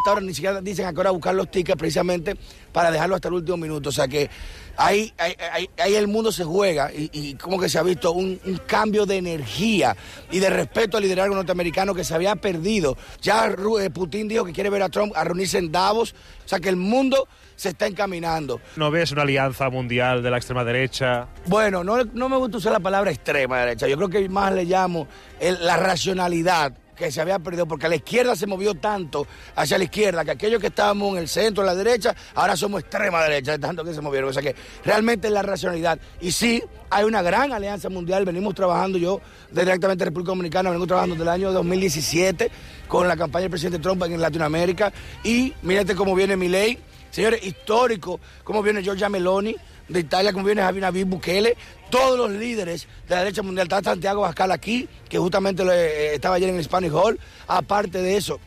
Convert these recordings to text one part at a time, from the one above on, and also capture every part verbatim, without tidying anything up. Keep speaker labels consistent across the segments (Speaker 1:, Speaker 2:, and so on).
Speaker 1: hasta ahora ni siquiera dicen a qué hora buscar los tickets precisamente para dejarlo hasta el último minuto. O sea que ahí, ahí, ahí, ahí el mundo se juega y, y como que se ha visto un, un cambio de energía y de respeto al liderazgo norteamericano que se había perdido. Ya Putin dijo que quiere ver a Trump a reunirse en Davos. O sea que el mundo se está encaminando.
Speaker 2: ¿No ves una alianza mundial de la extrema derecha?
Speaker 1: Bueno, no, no me gusta usar la palabra extrema derecha. Yo creo que más le llamo el, la racionalidad que se había perdido, porque la izquierda se movió tanto hacia la izquierda, que aquellos que estábamos en el centro, en la derecha, ahora somos extrema derecha, de tanto que se movieron. O sea que realmente es la racionalidad. Y sí, hay una gran alianza mundial, venimos trabajando, yo directamente en República Dominicana, vengo trabajando desde el año dos mil diecisiete con la campaña del presidente Trump en Latinoamérica, y mírate cómo viene Milei, señores, histórico, cómo viene Giorgia Meloni de Italia, como viene Javier Nabí Bukele, todos los líderes de la derecha mundial. Está Santiago Abascal aquí, que justamente lo, eh, estaba ayer en el Spanish Hall. Aparte de eso,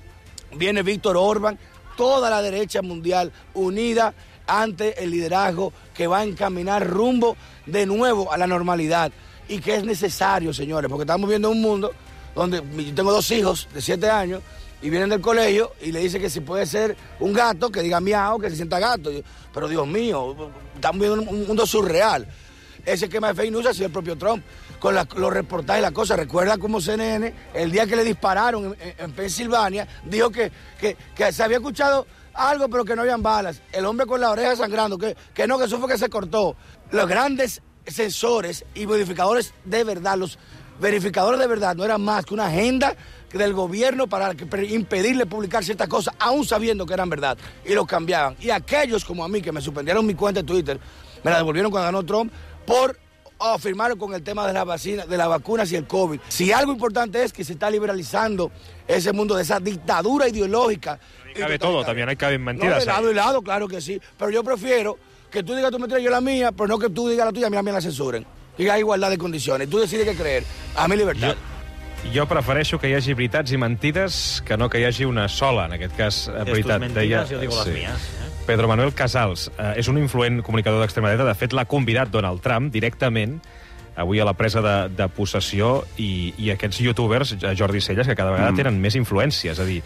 Speaker 1: viene Víctor Orbán, toda la derecha mundial unida ante el liderazgo que va a encaminar rumbo de nuevo a la normalidad. Y que es necesario, señores, porque estamos viendo un mundo donde yo tengo dos hijos de siete años, y vienen del colegio y le dicen que si puede ser un gato, que diga miau, que se sienta gato. Pero Dios mío, estamos viendo un mundo surreal. Ese esquema de fake news ha sido el propio Trump, con la, los reportajes y las cosas. Recuerda cómo C N N, el día que le dispararon en, en Pensilvania, dijo que, que, que se había escuchado algo, pero que no habían balas. El hombre con la oreja sangrando, que, que no, que eso fue que se cortó. Los grandes sensores y modificadores de verdad, los verificadores de verdad, no eran más que una agenda del gobierno para impedirle publicar ciertas cosas, aún sabiendo que eran verdad, y los cambiaban. Y aquellos como a mí, que me suspendieron mi cuenta de Twitter, me la devolvieron cuando ganó Trump, por afirmar con el tema de, la vacina, de las vacunas y el COVID. Si algo importante es que se está liberalizando ese mundo de esa dictadura ideológica.
Speaker 2: Ahí cabe todo, también hay caben mentiras.
Speaker 1: No, de lado y lado, claro que sí, pero yo prefiero que tú digas tu mentira y yo la mía, pero no que tú digas la tuya y a mí, a mí la censuren. Que hay igualdad de condiciones. Tú decides què creer. A mi libertat.
Speaker 2: Jo, jo prefereixo que hi hagi veritats i mentides que no que hi hagi una sola, en aquest cas, veritat.
Speaker 3: Tus mentides, jo digo les mías. Eh?
Speaker 2: Pedro Manuel Casals eh, és un influent comunicador d'extrema dreta. De fet, l'ha convidat Donald Trump directament avui a la presa de, de possessió, i, i aquests youtubers, Jordi Celles, que cada vegada mm. tenen més influència. És a dir,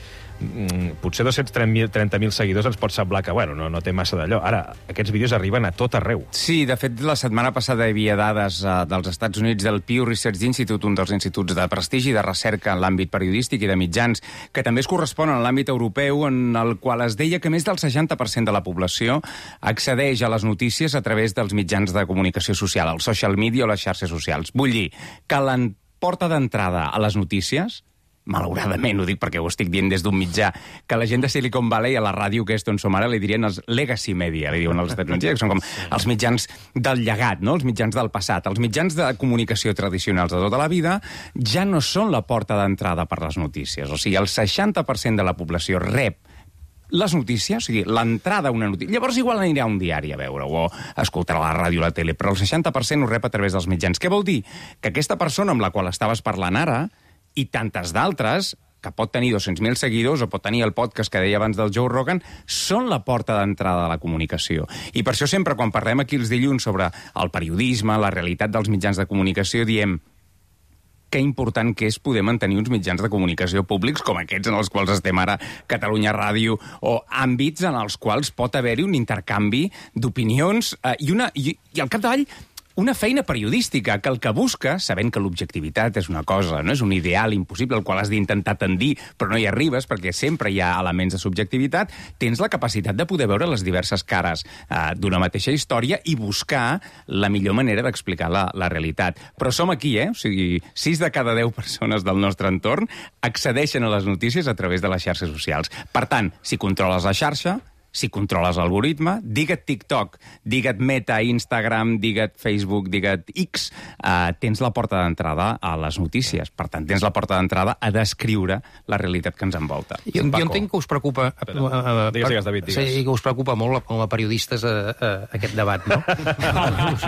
Speaker 2: potser dos-cents trenta mil seguidors ens pot semblar que, bueno, no, no té massa d'allò. Ara, aquests vídeos arriben a tot arreu.
Speaker 4: Sí, de fet, la setmana passada hi havia dades uh, dels Estats Units del Pew Research Institute, un dels instituts de prestigi de recerca en l'àmbit periodístic i de mitjans, que també es corresponen a l'àmbit europeu, en el qual es deia que més del seixanta per cent de la població accedeix a les notícies a través dels mitjans de comunicació social, el social media o les xarxes socials. Vull dir que la porta d'entrada a les notícies, malauradament, ho dic perquè ho estic dient des d'un mitjà, que la gent de Silicon Valley a la ràdio, que és on som ara, li dirien els legacy media, li diuen els Estats Units, que són com els mitjans del llegat, no? Els mitjans del passat. Els mitjans de comunicació tradicionals de tota la vida ja no són la porta d'entrada per les notícies. O sigui, el seixanta per cent de la població rep les notícies, o sigui, l'entrada a una notícia. Llavors igual anirà a un diari a veure-ho, o escoltarà la ràdio o la tele, però el seixanta per cent ho rep a través dels mitjans. Què vol dir? Que aquesta persona amb la qual estaves parlant ara, i tantes d'altres, que pot tenir dos-cents mil seguidors o pot tenir el podcast que deia abans del Joe Rogan, són la porta d'entrada de la comunicació. I per això sempre, quan parlem aquí els dilluns sobre el periodisme, la realitat dels mitjans de comunicació, diem que important que és poder mantenir uns mitjans de comunicació públics com aquests en els quals estem ara, Catalunya Ràdio, o àmbits en els quals pot haver-hi un intercanvi d'opinions eh, i, una, i, i al capdavall una feina periodística que el que busca, sabent que l'objectivitat és una cosa, no és un ideal impossible al qual has d'intentar tendir, però no hi arribes perquè sempre hi ha elements de subjectivitat, tens la capacitat de poder veure les diverses cares eh, d'una mateixa història i buscar la millor manera d'explicar la, la realitat. Però som aquí, eh? O sigui, sis de cada deu persones del nostre entorn accedeixen a les notícies a través de les xarxes socials. Per tant, si controles la xarxa, si controles l'algoritme, digue't TikTok, digue't Meta, Instagram, digue't Facebook, digue't X, eh, tens la porta d'entrada a les notícies. Per tant, tens la porta d'entrada a descriure la realitat que ens envolta.
Speaker 3: Jo, jo entenc que us preocupa...
Speaker 2: Espera, uh, digues, digues, David, digues.
Speaker 3: Sí, que us preocupa molt com a periodistes uh, uh, aquest debat, no? us,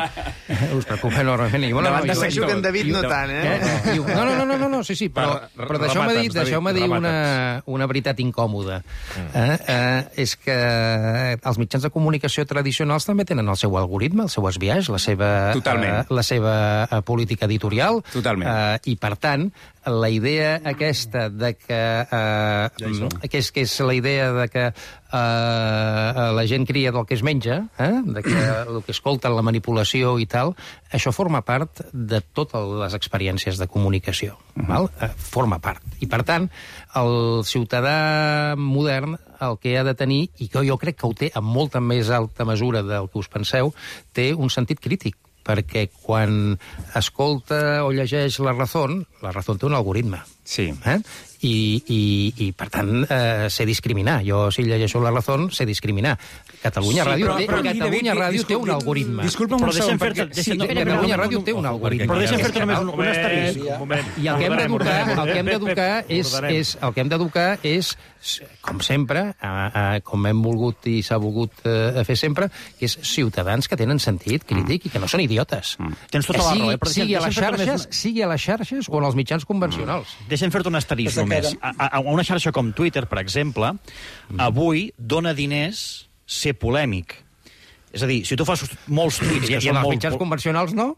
Speaker 3: us preocupa enormement. I, bueno,
Speaker 5: Davant
Speaker 3: no,
Speaker 5: de secció que en David no tant, eh?
Speaker 3: eh? No, no, no, no, no, sí, sí, però, però deixeu-me dir, deixeu dir una, una veritat incòmoda. Eh? Eh, és que els mitjans de comunicació tradicionals també tenen el seu algoritme, el seu esbiaix, la seva, uh, la seva uh, política editorial.
Speaker 4: Totalment.
Speaker 3: Uh, I, per tant, la idea aquesta de que... Eh, que, és, que és la idea de que eh, la gent cria del que es menja, eh, de que el que escolta, la manipulació i tal, això forma part de totes les experiències de comunicació. Uh-huh. Val? Eh, forma part. I, per tant, el ciutadà modern el que ha de tenir, i que jo crec que ho té amb molta més alta mesura del que us penseu, té un sentit crític, perquè quan escolta o llegeix La Razón, La Razón té un algoritme.
Speaker 4: Sí.
Speaker 3: Eh? I, i, i, per tant, eh, sé discriminar. Jo, si llegeixo La Razón, sé discriminar. Catalunya sí, Ràdio, té, però, Catalunya David, Ràdio té un algoritme.
Speaker 4: Disculpa'm un segon, perquè...
Speaker 3: Sí, Catalunya Ràdio té un algoritme.
Speaker 2: Però deixa'm fer-te només un, un asterisc.
Speaker 3: I el que hem d'educar el que hem d'educar és, és, el que hem d'educar és, com sempre, a, a, com hem volgut i s'ha volgut a fer sempre, que és ciutadans que tenen sentit crític mm. i que no són idiotes. Mm.
Speaker 6: Tens tota la raó, eh?
Speaker 3: Però sigui, a les xarxes, sigui a les xarxes o en els mitjans convencionals.
Speaker 6: Mm. Deixa'm fer-te un asterisc només. A, a una xarxa com Twitter, per exemple, mm. avui dona diners ser polèmic. És a dir, si tu fas molts tuits...
Speaker 3: Que són els molt... mitjans convencionals, no?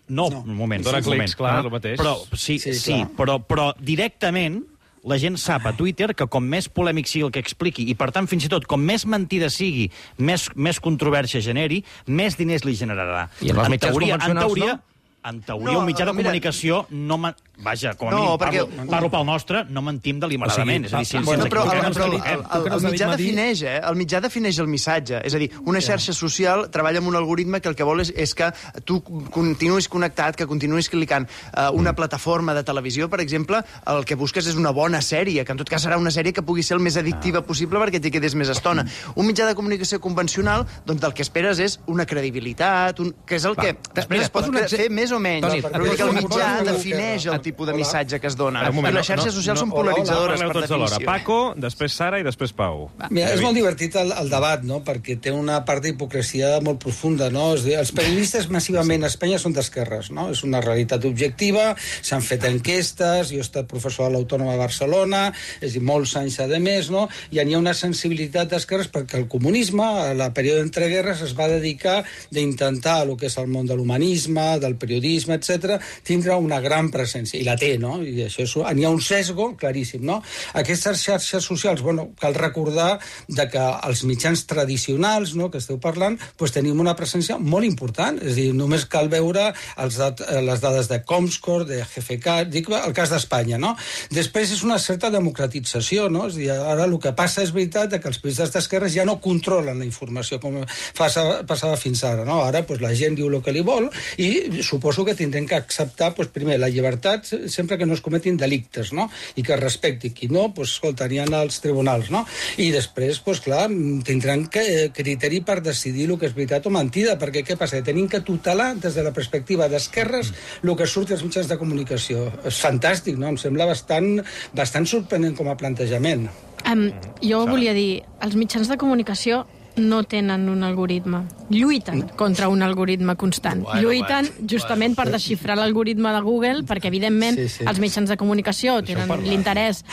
Speaker 6: No, no. un moment.
Speaker 2: Dona
Speaker 6: sí,
Speaker 2: clics,
Speaker 6: moment.
Speaker 2: clar, ah, el mateix.
Speaker 6: Però, sí, sí, sí però, però directament la gent sap a Twitter que com més polèmic sigui el que expliqui, i per tant, fins i tot, com més mentida sigui, més, més controvèrsia generi, més diners li generarà.
Speaker 3: I en els mitjans teoria, convencionals,
Speaker 6: en teoria,
Speaker 3: no?
Speaker 6: En teoria,
Speaker 5: no,
Speaker 6: un mitjà de
Speaker 5: mira,
Speaker 6: comunicació no... Ma... Vaja, com a
Speaker 5: no,
Speaker 6: mínim,
Speaker 5: perquè...
Speaker 6: parlo, parlo pel nostre, no mentim deliberadament. O sigui, és a dir, si,
Speaker 5: bueno,
Speaker 6: si
Speaker 5: però el,
Speaker 6: el,
Speaker 5: però el, el, el, el mitjà defineix, eh? El mitjà defineix el missatge. És a dir, una xarxa social treballa amb un algoritme que el que vol és, és que tu continuïs connectat, que continuïs clicant. Uh, una plataforma de televisió, per exemple, el que busques és una bona sèrie, que en tot cas serà una sèrie que pugui ser el més addictiva possible perquè t'hi quedis més estona. Un mitjà de comunicació convencional, doncs el que esperes és una credibilitat, un... que és el que Va, després es pot fer més o menys. Toni, però que el mitjà defineix el tipus de missatge que es dona. I les xarxes socials no, no, són polaritzadores,
Speaker 2: hola, hola,
Speaker 3: per
Speaker 2: definició. Paco, després Sara i després Pau.
Speaker 7: Mira, és molt divertit el, el debat, no?, perquè té una part d'hipocresia molt profunda, no? És dir, els periodistes massivament a Espanya són d'esquerres, no? És una realitat objectiva, s'han fet enquestes, jo he estat professor a l'Autònoma de Barcelona, és dir, molts anys a més, no? I hi ha una sensibilitat d'esquerres perquè el comunisme, a la període entre guerres, es va dedicar d'intentar el que és el món de l'humanisme, del periodisme, etcètera, tindre una gran presència, i la té, no? I això és, hi ha un sesgo claríssim, no? Aquestes xarxes socials, bueno, cal recordar de que els mitjans tradicionals, no?, que esteu parlant, doncs tenim una presència molt important, és a dir, només cal veure els dat les dades de Comscore, de G F K, dic el cas d'Espanya, no? Després és una certa democratització, no? És a dir, ara el que passa és veritat que els periodistes d'esquerres ja no controlen la informació com passava fins ara, no? Ara doncs, la gent diu el que li vol i suposo que tindrem que acceptar, doncs, primer, la llibertat sempre que no es cometin delictes, no? I que es respecti. Qui no, doncs, escolta, aniran als tribunals, no? I després, doncs, clar, tindran que, criteri per decidir el que és veritat o mentida, perquè què passa? Tenim que tutelar des de la perspectiva d'esquerres el que surt als mitjans de comunicació. És fantàstic, no? Em sembla bastant, bastant sorprenent com a plantejament.
Speaker 8: Um, jo volia dir, els mitjans de comunicació no tenen un algoritme. Lluiten contra un algoritme constant. Bueno, Lluiten bueno, justament bueno. per desxifrar l'algoritme de Google, perquè, evidentment, sí, sí. els mitjans de comunicació tenen l'interès...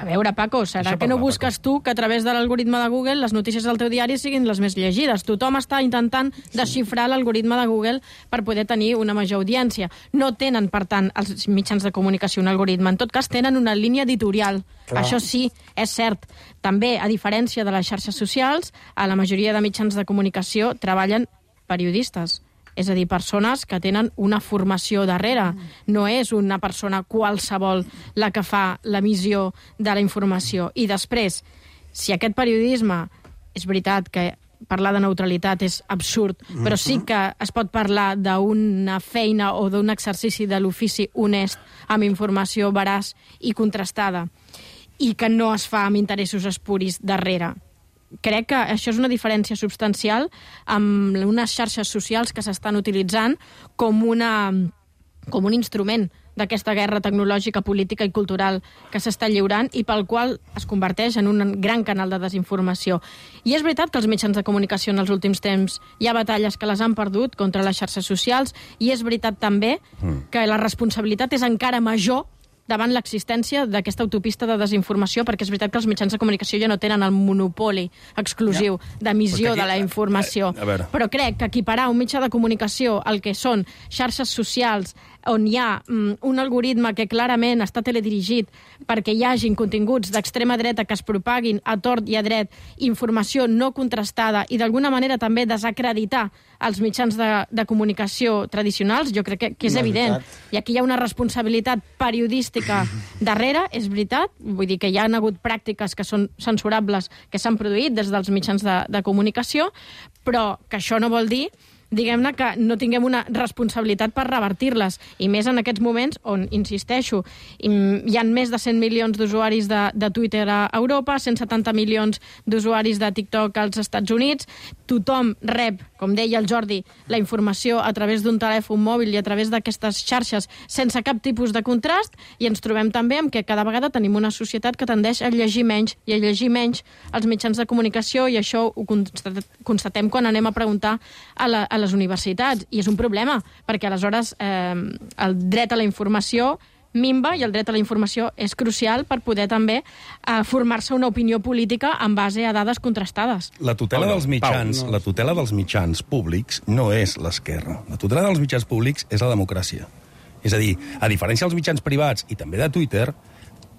Speaker 8: A veure, Paco, serà que no busques tu que a través de l'algoritme de Google les notícies del teu diari siguin les més llegides? Tothom està intentant desxifrar l'algoritme de Google per poder tenir una major audiència. No tenen, per tant, els mitjans de comunicació un algoritme. En tot cas, tenen una línia editorial. Clar. Això sí, és cert. També, a diferència de les xarxes socials, a la majoria de mitjans de comunicació treballen periodistes. És a dir, persones que tenen una formació darrere. No és una persona qualsevol la que fa l'emissió de la informació. I després, si aquest periodisme, és veritat que parlar de neutralitat és absurd, però sí que es pot parlar d'una feina o d'un exercici de l'ofici honest amb informació veraç i contrastada i que no es fa amb interessos espuris darrere. Crec que això és una diferència substancial amb unes xarxes socials que s'estan utilitzant com, una, com un instrument d'aquesta guerra tecnològica, política i cultural que s'està lliurant i pel qual es converteix en un gran canal de desinformació. I és veritat que els mitjans de comunicació en els últims temps hi ha batalles que les han perdut contra les xarxes socials i és veritat també que la responsabilitat és encara major davant l'existència d'aquesta autopista de desinformació, perquè és veritat que els mitjans de comunicació ja no tenen el monopoli exclusiu d'emissió de la informació. Però crec que equiparar un mitjà de comunicació al que són xarxes socials, on hi ha um, un algoritme que clarament està teledirigit perquè hi hagin continguts d'extrema dreta que es propaguin a tort i a dret, informació no contrastada i d'alguna manera també desacreditar els mitjans de, de comunicació tradicionals, jo crec que, que és no, evident. I aquí hi ha una responsabilitat periodística darrere, és veritat, vull dir que hi ha hagut pràctiques que són censurables que s'han produït des dels mitjans de, de comunicació, però que això no vol dir diguem-ne que no tinguem una responsabilitat per revertir-les, i més en aquests moments on, insisteixo, hi ha més de cent milions d'usuaris de, de Twitter a Europa, cent setanta milions d'usuaris de TikTok als Estats Units, tothom rep, com deia el Jordi, la informació a través d'un telèfon mòbil i a través d'aquestes xarxes sense cap tipus de contrast, i ens trobem també amb que cada vegada tenim una societat que tendeix a llegir menys i a llegir menys els mitjans de comunicació, i això ho constatem quan anem a preguntar a, la, a les universitats, i és un problema, perquè aleshores eh, el dret a la informació minva, i el dret a la informació és crucial per poder també eh, formar-se una opinió política en base a dades contrastades.
Speaker 9: La tutela dels mitjans, la tutela dels mitjans públics no és l'esquerra. La tutela dels mitjans públics és la democràcia. És a dir, a diferència dels mitjans privats i també de Twitter,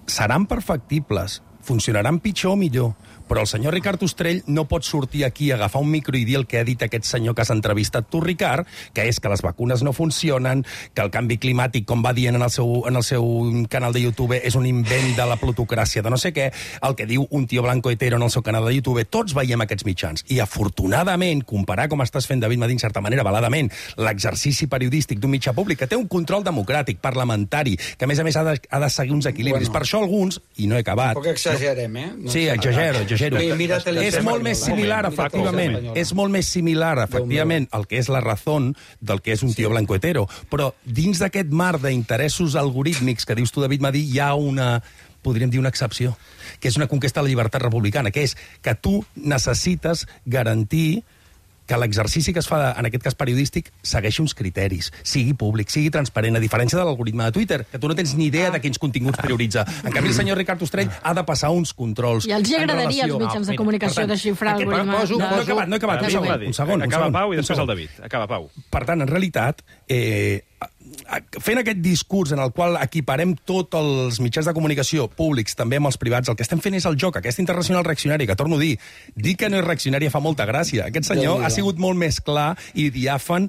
Speaker 9: seran perfectibles, funcionaran pitjor o millor, però el senyor Ricard Ostrell no pot sortir aquí a agafar un micro i dir el que ha dit aquest senyor que has entrevistat tu, Ricard, que és que les vacunes no funcionen, que el canvi climàtic, com va dient en el seu, en el seu canal de YouTube, és un invent de la plutocràcia de no sé què, el que diu un tio blanco hetero en el seu canal de YouTube. Tots veiem aquests mitjans. I, afortunadament, comparar com estàs fent, David Madí, en certa manera, veladament, l'exercici periodístic d'un mitjà públic que té un control democràtic, parlamentari, que, a més a més, ha de, ha de seguir uns equilibris. Bueno, per això alguns, i no he acabat...
Speaker 7: Poc exagerem, eh?
Speaker 9: No, sí, exagero, exagero.
Speaker 7: Mira,
Speaker 9: és molt més similar, efectivament, és molt més similar, efectivament, el que és la raó del que és un tio blanco hetero. Però dins d'aquest mar d'interessos algorítmics que dius tu, David Madí, hi ha una, podríem dir, una excepció, que és una conquesta de la llibertat republicana, que és que tu necessites garantir que l'exercici que es fa, en aquest cas periodístic, segueixi uns criteris, sigui públic, sigui transparent, a diferència de l'algoritme de Twitter, que tu no tens ni idea de quins continguts prioritza. En canvi, el senyor Ricard Ostrell ha de passar uns controls.
Speaker 8: I els agradaria als mitjans de comunicació desxifrar l'algoritme.
Speaker 9: No he acabat, no he acabat. Un segon, un segon.
Speaker 2: Acaba Pau i després el David. Acaba Pau.
Speaker 9: Per tant, en realitat, eh, fent aquest discurs en el qual equiparem tots els mitjans de comunicació públics, també amb els privats, el que estem fent és el joc, aquesta internacional reaccionària, que torno a dir, dir que no és reaccionària fa molta gràcia. Aquest senyor ha sigut molt més clar i diàfan,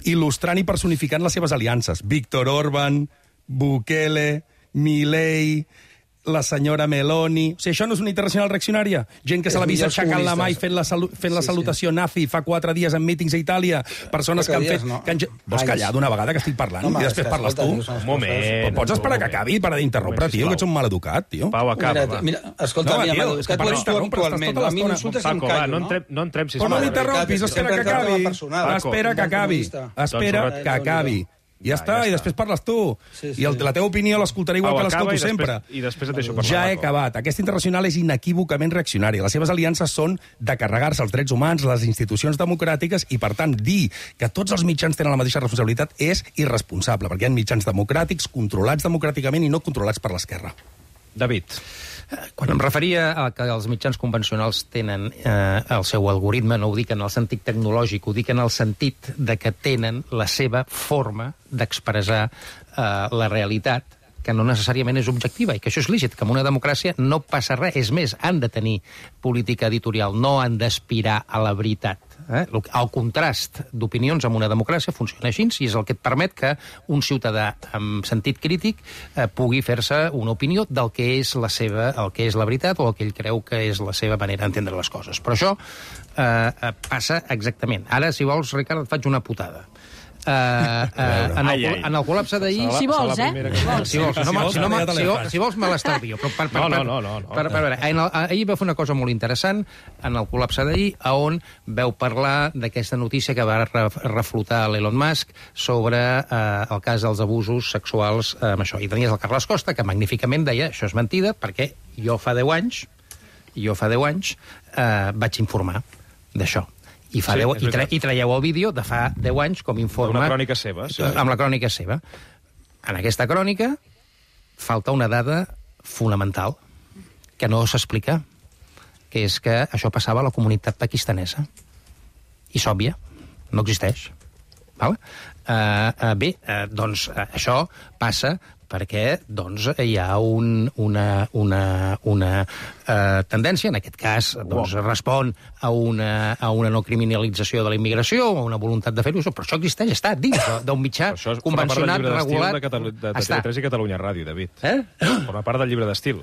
Speaker 9: il·lustrant i personificant les seves aliances. Víctor Orbán, Bukele, Milei, la senyora Meloni... O sigui, això no és una internacional reaccionària? Gent que se l'ha vist aixecant la mà i fent la, salu fent la salutació nazi fa quatre dies en mítings a Itàlia, persones que han fet... Que han... Vols callar d'una vegada que estic parlant i després parles tu?
Speaker 2: Un moment.
Speaker 9: Pots esperar que acabi per d'interrompre, tio, que ets un maleducat, tio.
Speaker 2: Pau, acaba, va.
Speaker 7: Mira, escolta, mira, Madu, és que tu ets tu actualment. A mi m'insultes i em callo, no?
Speaker 2: No entrem, sisplau.
Speaker 9: Però no m'interrompis, espera que acabi. Espera que acabi. Espera que acabi. Ja està, i després parles tu.
Speaker 7: Sí, sí.
Speaker 9: I el, la teva opinió l'escoltaré igual que l'escolto sempre.
Speaker 2: I després et deixo parlar.
Speaker 9: Ja he acabat. Aquesta internacional és inequívocament reaccionària. Les seves aliances són de carregar-se els drets humans, les institucions democràtiques, i, per tant, dir que tots els mitjans tenen la mateixa responsabilitat és irresponsable, perquè hi ha mitjans democràtics, controlats democràticament i no controlats per l'esquerra.
Speaker 2: David.
Speaker 3: Quan em referia a que els mitjans convencionals tenen eh, el seu algoritme, no ho dic en el sentit tecnològic, ho dic en el sentit de que tenen la seva forma d'expressar eh, la realitat, que no necessàriament és objectiva, i que això és lícit, que en una democràcia no passa res. És més, han de tenir política editorial, no han d'aspirar a la veritat. Eh? El contrast d'opinions en una democràcia funciona així, i és el que et permet que un ciutadà amb sentit crític eh, pugui fer-se una opinió del que és la seva, el que és la veritat o el que ell creu que és la seva manera d'entendre les coses. Però això eh, passa exactament. Ara, si vols, Ricard, et faig una putada. Uh, uh, en, el, en el col·lapse d'ahir...
Speaker 8: Si vols, eh?
Speaker 3: Si vols, si, no, si, no, si, vols, si vols me l'estalvio. Per, per, per,
Speaker 2: no, no, no. no.
Speaker 3: Per, per, per, en el, ahir va fer una cosa molt interessant en el col·lapse d'ahir, on veu parlar d'aquesta notícia que va reflotar l'Elon Musk sobre uh, el cas dels abusos sexuals uh, amb això. I tenies el Carles Costa, que magníficament deia això és mentida, perquè jo fa deu anys, jo fa deu anys uh, vaig informar d'això. I, fa sí, deu, i, tra, i traieu el vídeo de fa deu anys com informa...
Speaker 2: Una crònica seva. Sí.
Speaker 3: Amb la crònica seva. En aquesta crònica falta una dada fonamental que no s'explica, que és que això passava a la comunitat pakistanesa. I és òbvia, no existeix. Val? Uh, uh, bé, uh, doncs uh, això passa perquè doncs, hi ha un, una, una, una uh, tendència, en aquest cas doncs, respon a una, a una no criminalització de la immigració, a una voluntat de fer-ho, però això existeix, està dins d'un mitjà convencionat, regulat...
Speaker 2: Això forma part del llibre d'estil de, de T V tres i Catalunya Ràdio, David.
Speaker 3: Eh?
Speaker 2: Forma part del llibre d'estil.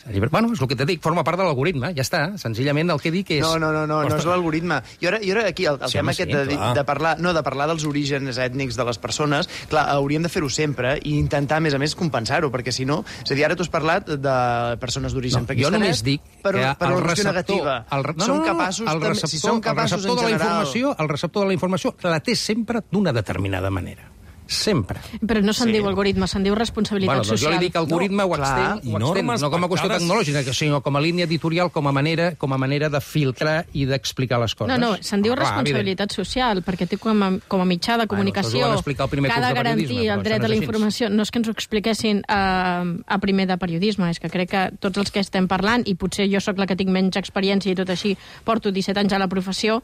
Speaker 3: Bueno, és el que te dic, forma part de l'algoritme, ja està. Senzillament el que dic és...
Speaker 5: No, no, no, no, no és l'algoritme. I ara, i ara aquí, el, el sí, tema
Speaker 3: sí,
Speaker 5: aquest de, de, parlar, no, de parlar dels orígens ètnics de les persones, clar, hauríem de fer-ho sempre i intentar, a més a més, compensar-ho, perquè si no... És a dir, ara tu has parlat de persones d'origen
Speaker 3: no,
Speaker 5: pakistanès...
Speaker 3: Jo només dic
Speaker 5: per,
Speaker 3: que
Speaker 5: per
Speaker 3: el
Speaker 5: receptor...
Speaker 3: negativa. El, no,
Speaker 5: som
Speaker 3: no, no,
Speaker 5: capaços...
Speaker 3: el receptor,
Speaker 5: si som capaços,
Speaker 3: el receptor
Speaker 5: en
Speaker 3: de la
Speaker 5: general...
Speaker 3: informació, el receptor de la informació la té sempre d'una determinada manera. Sempre.
Speaker 8: Però no se'n
Speaker 3: sí.
Speaker 8: diu algoritme, se'n diu responsabilitat
Speaker 3: bueno, doncs
Speaker 8: social.
Speaker 3: Jo li dic algoritme no, ho extenc, ho extenc no com a qüestió tecnològica, sinó com a línia editorial, com a manera, com a manera de filtrar i d'explicar les coses.
Speaker 8: No, no, se'n diu
Speaker 3: ah,
Speaker 8: responsabilitat evident. social, perquè té com a, com a mitjà de comunicació
Speaker 3: bueno, que
Speaker 8: ha de garantir el dret a la informació. No és que ens ho expliquessin a, a primer de periodisme, és que crec que tots els que estem parlant, i potser jo sóc la que tinc menys experiència i tot així, porto disset anys a la professió,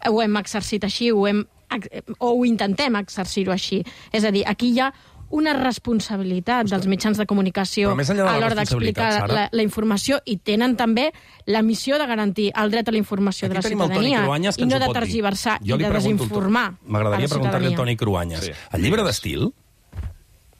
Speaker 8: ho hem exercit així, ho hem o ho intentem exercir-ho així. És a dir, aquí hi ha una responsabilitat dels mitjans de comunicació
Speaker 9: de
Speaker 8: a l'hora d'explicar la, la informació i tenen també la missió de garantir el dret a la informació
Speaker 9: Aquí
Speaker 8: de la ciutadania i no de tergiversar i de desinformar.
Speaker 9: M'agradaria preguntar-li al Toni Cruanyes. Sí. El llibre d'estil,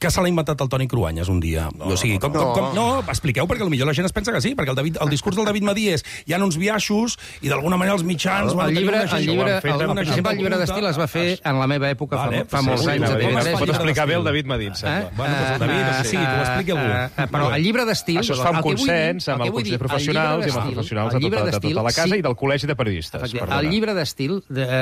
Speaker 9: que se l'ha inventat el Toni Cruanyes un dia. No, o sigui, com, com, com, no, expliqueu, perquè potser la gent es pensa que sí, perquè el, David, el discurs del David Madí és hi ha uns biaixos i d'alguna manera els mitjans...
Speaker 3: El, el llibre, el llibre, el, el, per exemple, el llibre d'estil es va fer en la meva època vale, fa, fa molts sí, anys.
Speaker 2: Sí, pot explicar bé el David Madí, em sembla.
Speaker 3: Eh? Bueno, doncs el David, uh, sí, t'ho expliqui algú. Uh, però el llibre d'estil...
Speaker 2: Això es fa amb consens, amb el Consell de Professionals i amb els professionals de tota la casa i del Col·legi de Periodistes.
Speaker 3: El llibre d'estil,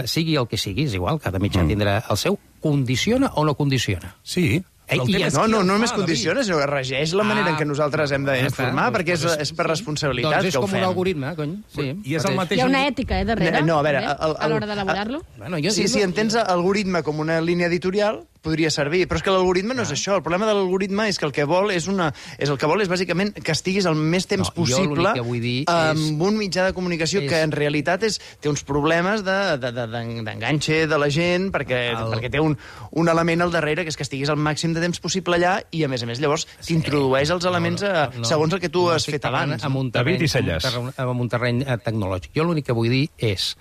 Speaker 3: sigui el que sigui, és igual, cada mitjà tindrà el seu, condiciona o no condiciona?
Speaker 9: Sí.
Speaker 3: I
Speaker 5: no, no, no només condiciona, sinó que regeix la manera ah, en què nosaltres hem d'informar, ah, perquè és, és per responsabilitat
Speaker 3: doncs
Speaker 5: que ho fem.
Speaker 3: Doncs és com un algoritme, cony. Sí,
Speaker 9: I és el mateix...
Speaker 8: Hi ha una ètica, eh, darrere?
Speaker 5: No, a veure... El, el,
Speaker 8: a l'hora d'elaborar-lo?
Speaker 5: Bueno, si, si entens algoritme com una línia editorial, podria servir, però és que l'algoritme no és això. El problema de l'algoritme és que el que vol és una... És el que vol és, bàsicament, que estiguis el més temps no, possible amb un mitjà de comunicació és... que, en realitat, és, té uns problemes d'enganxe de, de, de, de la gent, perquè, el... perquè té un, un element al darrere, que és que estiguis el màxim de temps possible allà, i, a més a més, llavors t'introdueix els elements no, no, no, segons el que tu no, has fet abans.
Speaker 3: Amb un terreny, amb un terreny tecnològic. Jo l'únic que vull dir és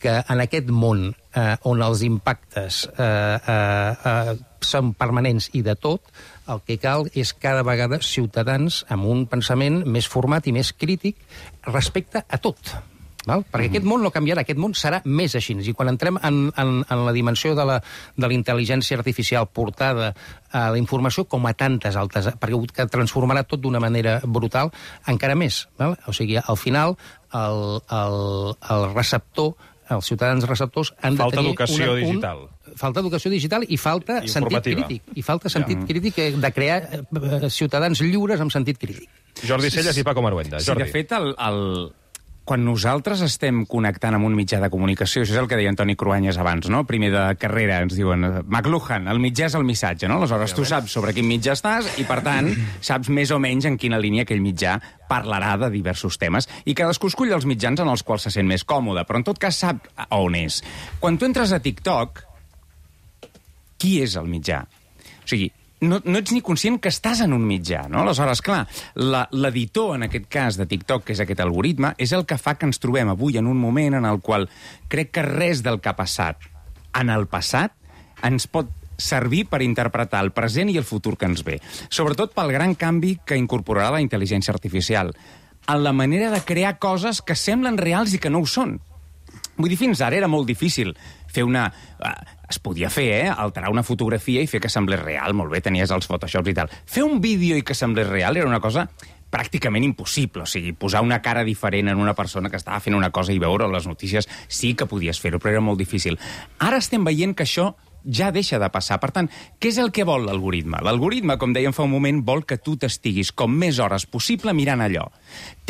Speaker 3: que en aquest món eh, on els impactes eh, eh, eh, són permanents i de tot, el que cal és cada vegada ciutadans amb un pensament més format i més crític respecte a tot. Val? Perquè mm-hmm. aquest món no canviarà, aquest món serà més així. I quan entrem en, en, en la dimensió de la, de la intel·ligència artificial portada a la informació, com a tantes altres, perquè que transformarà tot d'una manera brutal, encara més. Val? O sigui, al final, el, el, el receptor, els ciutadans receptors han
Speaker 2: falta
Speaker 3: de tenir...
Speaker 2: Educació
Speaker 3: una, un,
Speaker 2: digital.
Speaker 3: Falta educació digital i falta
Speaker 2: I
Speaker 3: sentit crític. I falta sentit ja. crític de crear eh, ciutadans lliures amb sentit crític.
Speaker 2: Jordi Celles i Paco Maruenda.
Speaker 4: Sí, de fet, el... el... quan nosaltres estem connectant amb un mitjà de comunicació, això és el que deia Antoni Cruanyes abans, no? Primer de carrera ens diuen McLuhan, el mitjà és el missatge, no? Aleshores tu saps sobre quin mitjà estàs i, per tant, saps més o menys en quina línia aquell mitjà parlarà de diversos temes. I cadascú escull els mitjans en els quals se sent més còmode, però en tot cas sap on és. Quan tu entres a TikTok, qui és el mitjà? O sigui, No, no ets ni conscient que estàs en un mitjà, no? Aleshores, clar, l'editor, en aquest cas, de TikTok, que és aquest algoritme, és el que fa que ens trobem avui en un moment en el qual crec que res del que ha passat en el passat ens pot servir per interpretar el present i el futur que ens ve. Sobretot pel gran canvi que incorporarà la intel·ligència artificial, en la manera de crear coses que semblen reals i que no ho són. Vull dir, fins ara era molt difícil fer una... Es podia fer, eh? Alterar una fotografia i fer que semblés real. Molt bé, tenies els Photoshops i tal. Fer un vídeo i que semblés real era una cosa pràcticament impossible. O sigui, posar una cara diferent en una persona que estava fent una cosa i veure les notícies sí que podies fer-ho, però era molt difícil. Ara estem veient que això ja deixa de passar. Per tant, què és el que vol l'algoritme? L'algoritme, com dèiem fa un moment, vol que tu t'estiguis com més hores possible mirant allò.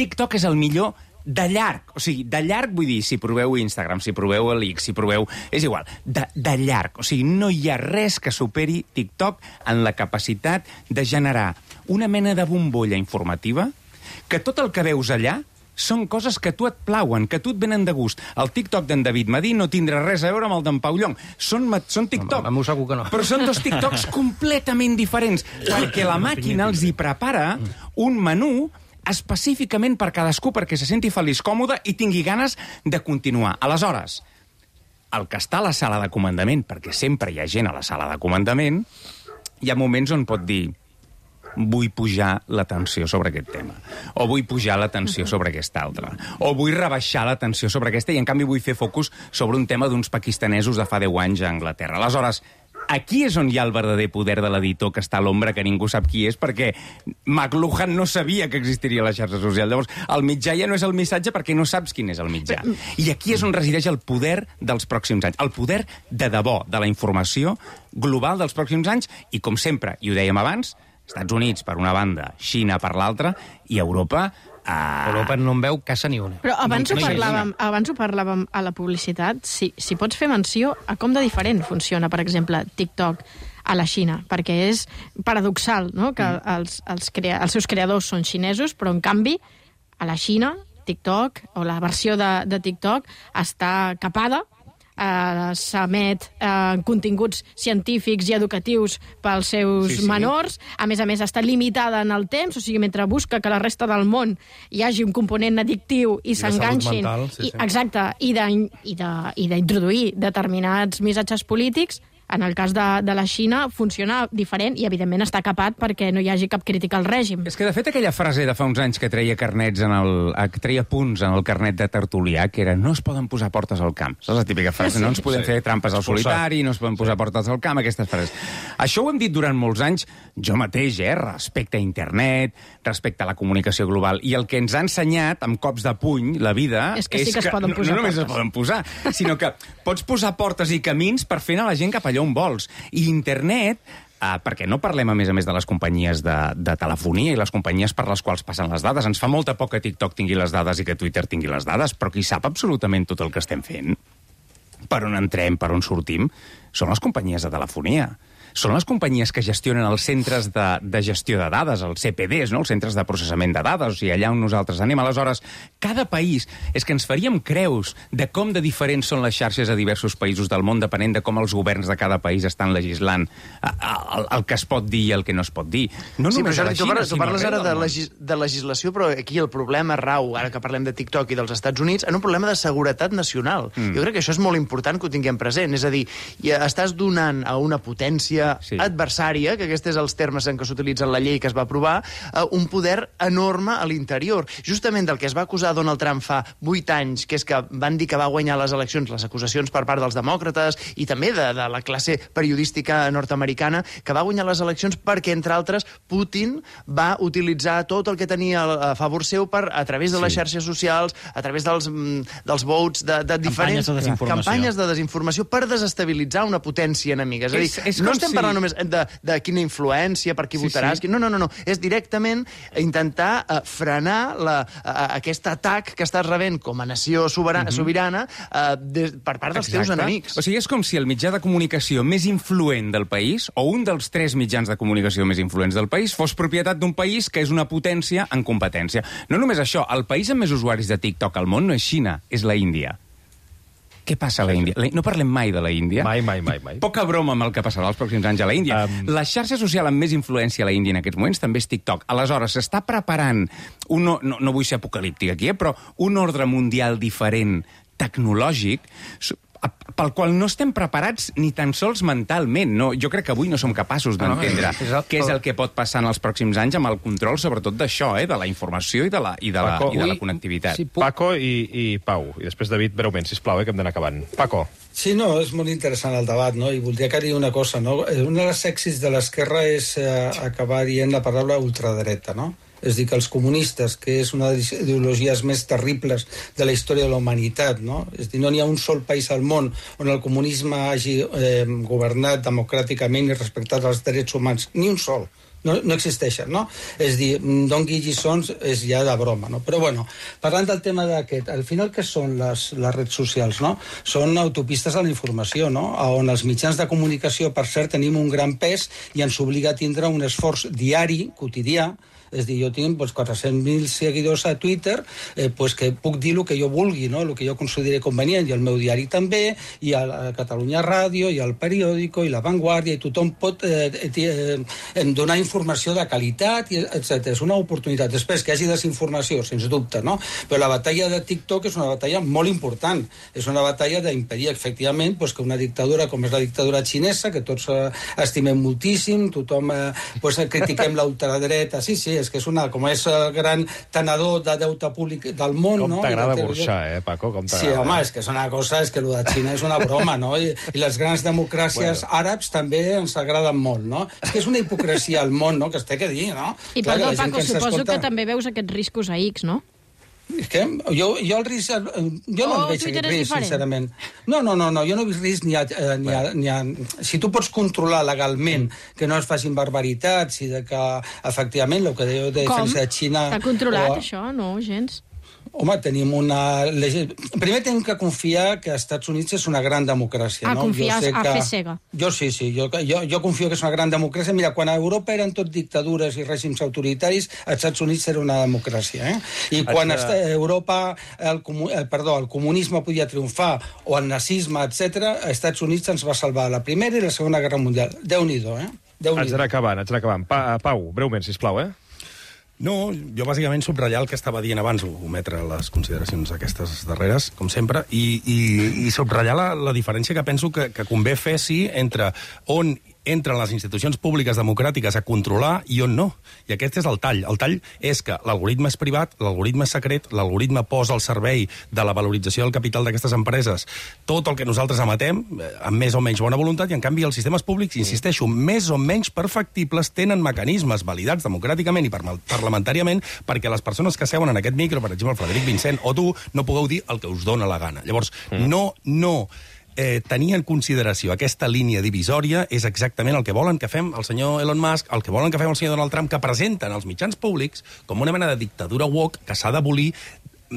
Speaker 4: TikTok és el millor de llarg, o sigui, de llarg vull dir, si proveu Instagram, si proveu l'X, si proveu... És igual, de, de llarg. O sigui, no hi ha res que superi TikTok en la capacitat de generar una mena de bombolla informativa que tot el que veus allà són coses que a tu et plauen, que a tu et venen de gust. El TikTok d'en David Madí no tindrà res a veure amb el d'en Pau Llong. Són, són TikTok.
Speaker 3: M'ho segur que no.
Speaker 4: Però són dos TikToks completament diferents, perquè la màquina els hi prepara un menú específicament per cadascú, perquè se senti feliç, còmode i tingui ganes de continuar. Aleshores, el que està a la sala de comandament, perquè sempre hi ha gent a la sala de comandament, hi ha moments on pot dir vull pujar la tensió sobre aquest tema, o vull pujar la tensió sobre aquesta altra, o vull rebaixar la tensió sobre aquesta, i en canvi vull fer focus sobre un tema d'uns pakistanesos de fa deu anys a Anglaterra. Aleshores, aquí és on hi ha el verdader poder de l'editor que està a l'ombra, que ningú sap qui és, perquè McLuhan no sabia que existiria la xarxa social. Llavors, el mitjà ja no és el missatge perquè no saps quin és el mitjà. I aquí és on resideix el poder dels pròxims anys, el poder de debò de la informació global dels pròxims anys, i com sempre, i ho dèiem abans, Estats Units per una banda, Xina per l'altra, i Europa...
Speaker 3: Uh... Europa no en veu casa ni una.
Speaker 8: Però abans, no, ho, parlàvem, abans ho parlàvem a la publicitat, si, si pots fer menció a com de diferent funciona, per exemple, TikTok a la Xina, perquè és paradoxal, no?, que mm. els, els, crea, els seus creadors són xinesos, però en canvi a la Xina TikTok, o la versió de, de TikTok, està capada, Uh, s'emet uh, continguts científics i educatius pels seus sí, sí. menors. A més a més, està limitada en el temps, o sigui, mentre busca que la resta del món hi hagi un component addictiu i, I s'enganxin. Sí, sí. Exacte, i d'introduir determinats missatges polítics. En el cas de, de la Xina funciona diferent i, evidentment, està capat perquè no hi hagi cap crítica al règim.
Speaker 4: És que, de fet, aquella frase de fa uns anys que treia carnets en el, que treia punts en el carnet de Tertulià, que era no es poden posar portes al camp. Saps la típica frase? Sí, no ens podem sí. fer trampes al solitari, no es poden posar sí. portes al camp, aquestes frases. Això ho hem dit durant molts anys, jo mateix, eh, respecte a internet, respecte a la comunicació global, i el que ens ha ensenyat, amb cops de puny, la vida,
Speaker 8: és que sí
Speaker 4: és
Speaker 8: que,
Speaker 4: que
Speaker 8: es poden posar
Speaker 4: no, no només
Speaker 8: portes.
Speaker 4: es poden posar, sinó que pots posar portes i camins per fer anar la gent cap allà on vols. I internet, eh, perquè no parlem a més a més de les companyies de, de telefonia i les companyies per les quals passen les dades. Ens fa molta por que TikTok tingui les dades i que Twitter tingui les dades, però qui sap absolutament tot el que estem fent, per on entrem, per on sortim, són les companyies de telefonia. Són les companyies que gestionen els centres de, de gestió de dades, els C P Ds, no? Els centres de processament de dades, o sigui, allà on nosaltres anem. Aleshores, cada país, és que ens faríem creus de com de diferents són les xarxes a diversos països del món, depenent de com els governs de cada país estan legislant el, el que es pot dir i el que no es pot dir. No
Speaker 5: sí,
Speaker 4: només
Speaker 5: però
Speaker 4: a la
Speaker 5: tu
Speaker 4: Xina,
Speaker 5: parles, tu parles ara de, legis, de legislació, però aquí el problema rau, ara que parlem de TikTok i dels Estats Units, en un problema de seguretat nacional. Mm. Jo crec que això és molt important que ho tinguem present. És a dir, estàs donant a una potència sí. adversària, que aquests són els termes en què s'utilitza en la llei que es va aprovar, uh, un poder enorme a l'interior. Justament del que es va acusar Donald Trump fa vuit anys, que és que van dir que va guanyar les eleccions, les acusacions per part dels demòcrates i també de, de la classe periodística nord-americana, que va guanyar les eleccions perquè, entre altres, Putin va utilitzar tot el que tenia a favor seu per, a través de les sí. xarxes socials, a través dels, dels vots de, de diferents...
Speaker 6: Campanyes de desinformació.
Speaker 5: Campanyes de desinformació per desestabilitzar una potència enemiga. És a dir, és, és no estem si... parlant només de, de quina influència, per qui sí, votaràs... Sí. No, no, no, no. És directament intentar uh, frenar la, uh, aquest atac que estàs rebent com a nació sobirana, uh-huh. sobirana uh, de, per part dels Exacte. teus enemics.
Speaker 4: O sigui, és com si el mitjà de comunicació més influent del país, o un dels tres mitjans de comunicació més influents del país, fos propietat d'un país que és una potència en competència. No només això, el país amb més usuaris de TikTok al món no és Xina, és la Índia. Què passa a la Índia? No parlem mai de la Índia.
Speaker 2: Mai, mai, mai. mai.
Speaker 4: Poca broma amb el que passarà els pròxims anys a la Índia. Um... La xarxa social amb més influència a la Índia en aquests moments també és TikTok. Aleshores, s'està preparant, un, no, no vull ser apocalíptic aquí, eh, però un ordre mundial diferent, tecnològic, pel qual no estem preparats ni tan sols mentalment. No, jo crec que avui no som capaços d'entendre no, no, què és el que pot passar en els pròxims anys amb el control, sobretot d'això, eh, de la informació i de la, i de la, Paco, i de la connectivitat.
Speaker 2: Si Paco i, i Pau, i després David, breument, sisplau, eh, que hem d'anar acabant. Paco.
Speaker 7: Sí, no, és molt interessant el debat, no? I voldria que digui una cosa, no? Una de les èxits de l'esquerra és eh, acabar dient la paraula ultradreta, no? És dir, que els comunistes, que és una de les ideologies més terribles de la història de la humanitat, no? És dir, no n'hi ha un sol país al món on el comunisme hagi eh, governat democràticament i respectat els drets humans. Ni un sol. No, no existeixen, no? És dir, doni lliçons és ja de broma, no? Però, bueno, parlant del tema d'aquest, al final què són les, les redes socials, no? Són autopistes de la informació, no? On els mitjans de comunicació, per cert, tenim un gran pes i ens obliga a tindre un esforç diari, quotidià, És a dir, jo tinc pues, quatre-cents mil seguidors a Twitter, eh, pues, que puc dir el que jo vulgui, no? El que jo consideri convenient, i el meu diari també, i a, a Catalunya Ràdio, i al Periòdico, i La Vanguardia, i tothom pot eh, eh, eh, donar informació de qualitat, i etcètera. És una oportunitat. Després, que hi hagi desinformació, sens dubte, no? Però la batalla de TikTok és una batalla molt important. És una batalla d'impedir, efectivament, pues, que una dictadura com és la dictadura xinesa, que tots eh, estimem moltíssim, tothom eh, pues, critiquem la ultradreta. Sí, sí, és que és una, com és el gran tenedor de deute públic del món,
Speaker 2: com
Speaker 7: no?
Speaker 2: Com t'agrada burxar, eh, Paco? Com t'agrada.
Speaker 7: Sí, home, és que és una cosa, és que el de Xina és una broma, no? I, i les grans democràcies bueno. àrabs també ens agraden molt, no? És que és una hipocresia al món, no?, que es té que dir, no?
Speaker 8: I
Speaker 7: Clar,
Speaker 8: perdó,
Speaker 7: que
Speaker 8: Paco, suposo escolta... que també veus aquests riscos a X, no?
Speaker 7: És que jo, jo el risc... Jo no
Speaker 8: oh,
Speaker 7: el veig
Speaker 8: Twitter
Speaker 7: aquest risc,
Speaker 8: diferent.
Speaker 7: sincerament. No, no, no, no, jo no he vist risc ni a, eh, ni, a, ni a... Si tu pots controlar legalment que no es facin barbaritats i de que, efectivament, el que deu de defensa de Xina...
Speaker 8: Com? T'ha controlat,
Speaker 7: o...
Speaker 8: això? No, gens.
Speaker 7: Home, tenim una... Primer tenim que confiar que els Estats Units és una gran democràcia.
Speaker 8: Ah,
Speaker 7: no?
Speaker 8: confiar a
Speaker 7: que...
Speaker 8: fer cega.
Speaker 7: Jo sí, sí, jo, jo, jo confio que és una gran democràcia. Mira, quan a Europa eren tot dictadures i règims autoritaris, als Estats Units era una democràcia. Eh? I quan a Europa el, eh, perdó, el comunisme podia triomfar, o el nazisme, etcètera, als Estats Units ens va salvar la Primera i la Segona Guerra Mundial. Déu-n'hi-do, eh? Déu-n'hi-do.
Speaker 2: Haig d'anar acabant, haig d'anar acabant. Pa, Pau, breument, sisplau, eh?
Speaker 9: No, jo bàsicament subratllar el que estava dient abans, ometre les consideracions aquestes darreres, com sempre, i, i, i subratllar la, la diferència que penso que, que convé fer, sí, entre on entren les institucions públiques democràtiques a controlar i on no. I aquest és el tall. El tall és que l'algoritme és privat, l'algoritme és secret, l'algoritme posa al servei de la valorització del capital d'aquestes empreses tot el que nosaltres emetem, amb més o menys bona voluntat, i en canvi els sistemes públics, insisteixo, més o menys perfectibles, tenen mecanismes validats democràticament i parlamentàriament perquè les persones que seuen en aquest micro, per exemple, el Frederic Vincent o tu, no pugueu dir el que us dóna la gana. Llavors, mm. no, no... Eh, tenir en consideració aquesta línia divisòria és exactament el que volen que fem el senyor Elon Musk, el que volen que fem el senyor Donald Trump, que presenten els mitjans públics com una mena de dictadura woke que s'ha d'abolir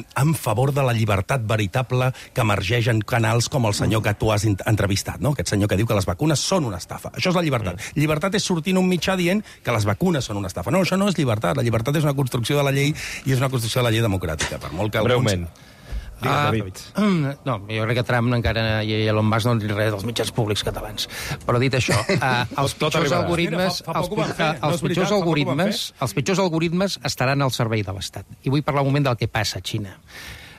Speaker 9: en favor de la llibertat veritable que emergeix en canals com el senyor que tu has entrevistat, no? Aquest senyor que diu que les vacunes són una estafa. Això és la llibertat. Mm. Llibertat és sortir en un mitjà dient que les vacunes són una estafa. No, això no és llibertat. La llibertat és una construcció de la llei i és una construcció de la llei democràtica. Per molt que
Speaker 2: breument.
Speaker 9: Alguns...
Speaker 2: Digues,
Speaker 3: uh, no, jo crec que Trump encara i Elon Musk no han dit res dels mitjans públics catalans. Però dit això, uh, els pitjors algoritmes, Mira, fa, fa els, pi fer, no els, pitjors veritat, algoritmes els pitjors algoritmes estaran al servei de l'Estat. I vull parlar un moment del que passa a Xina.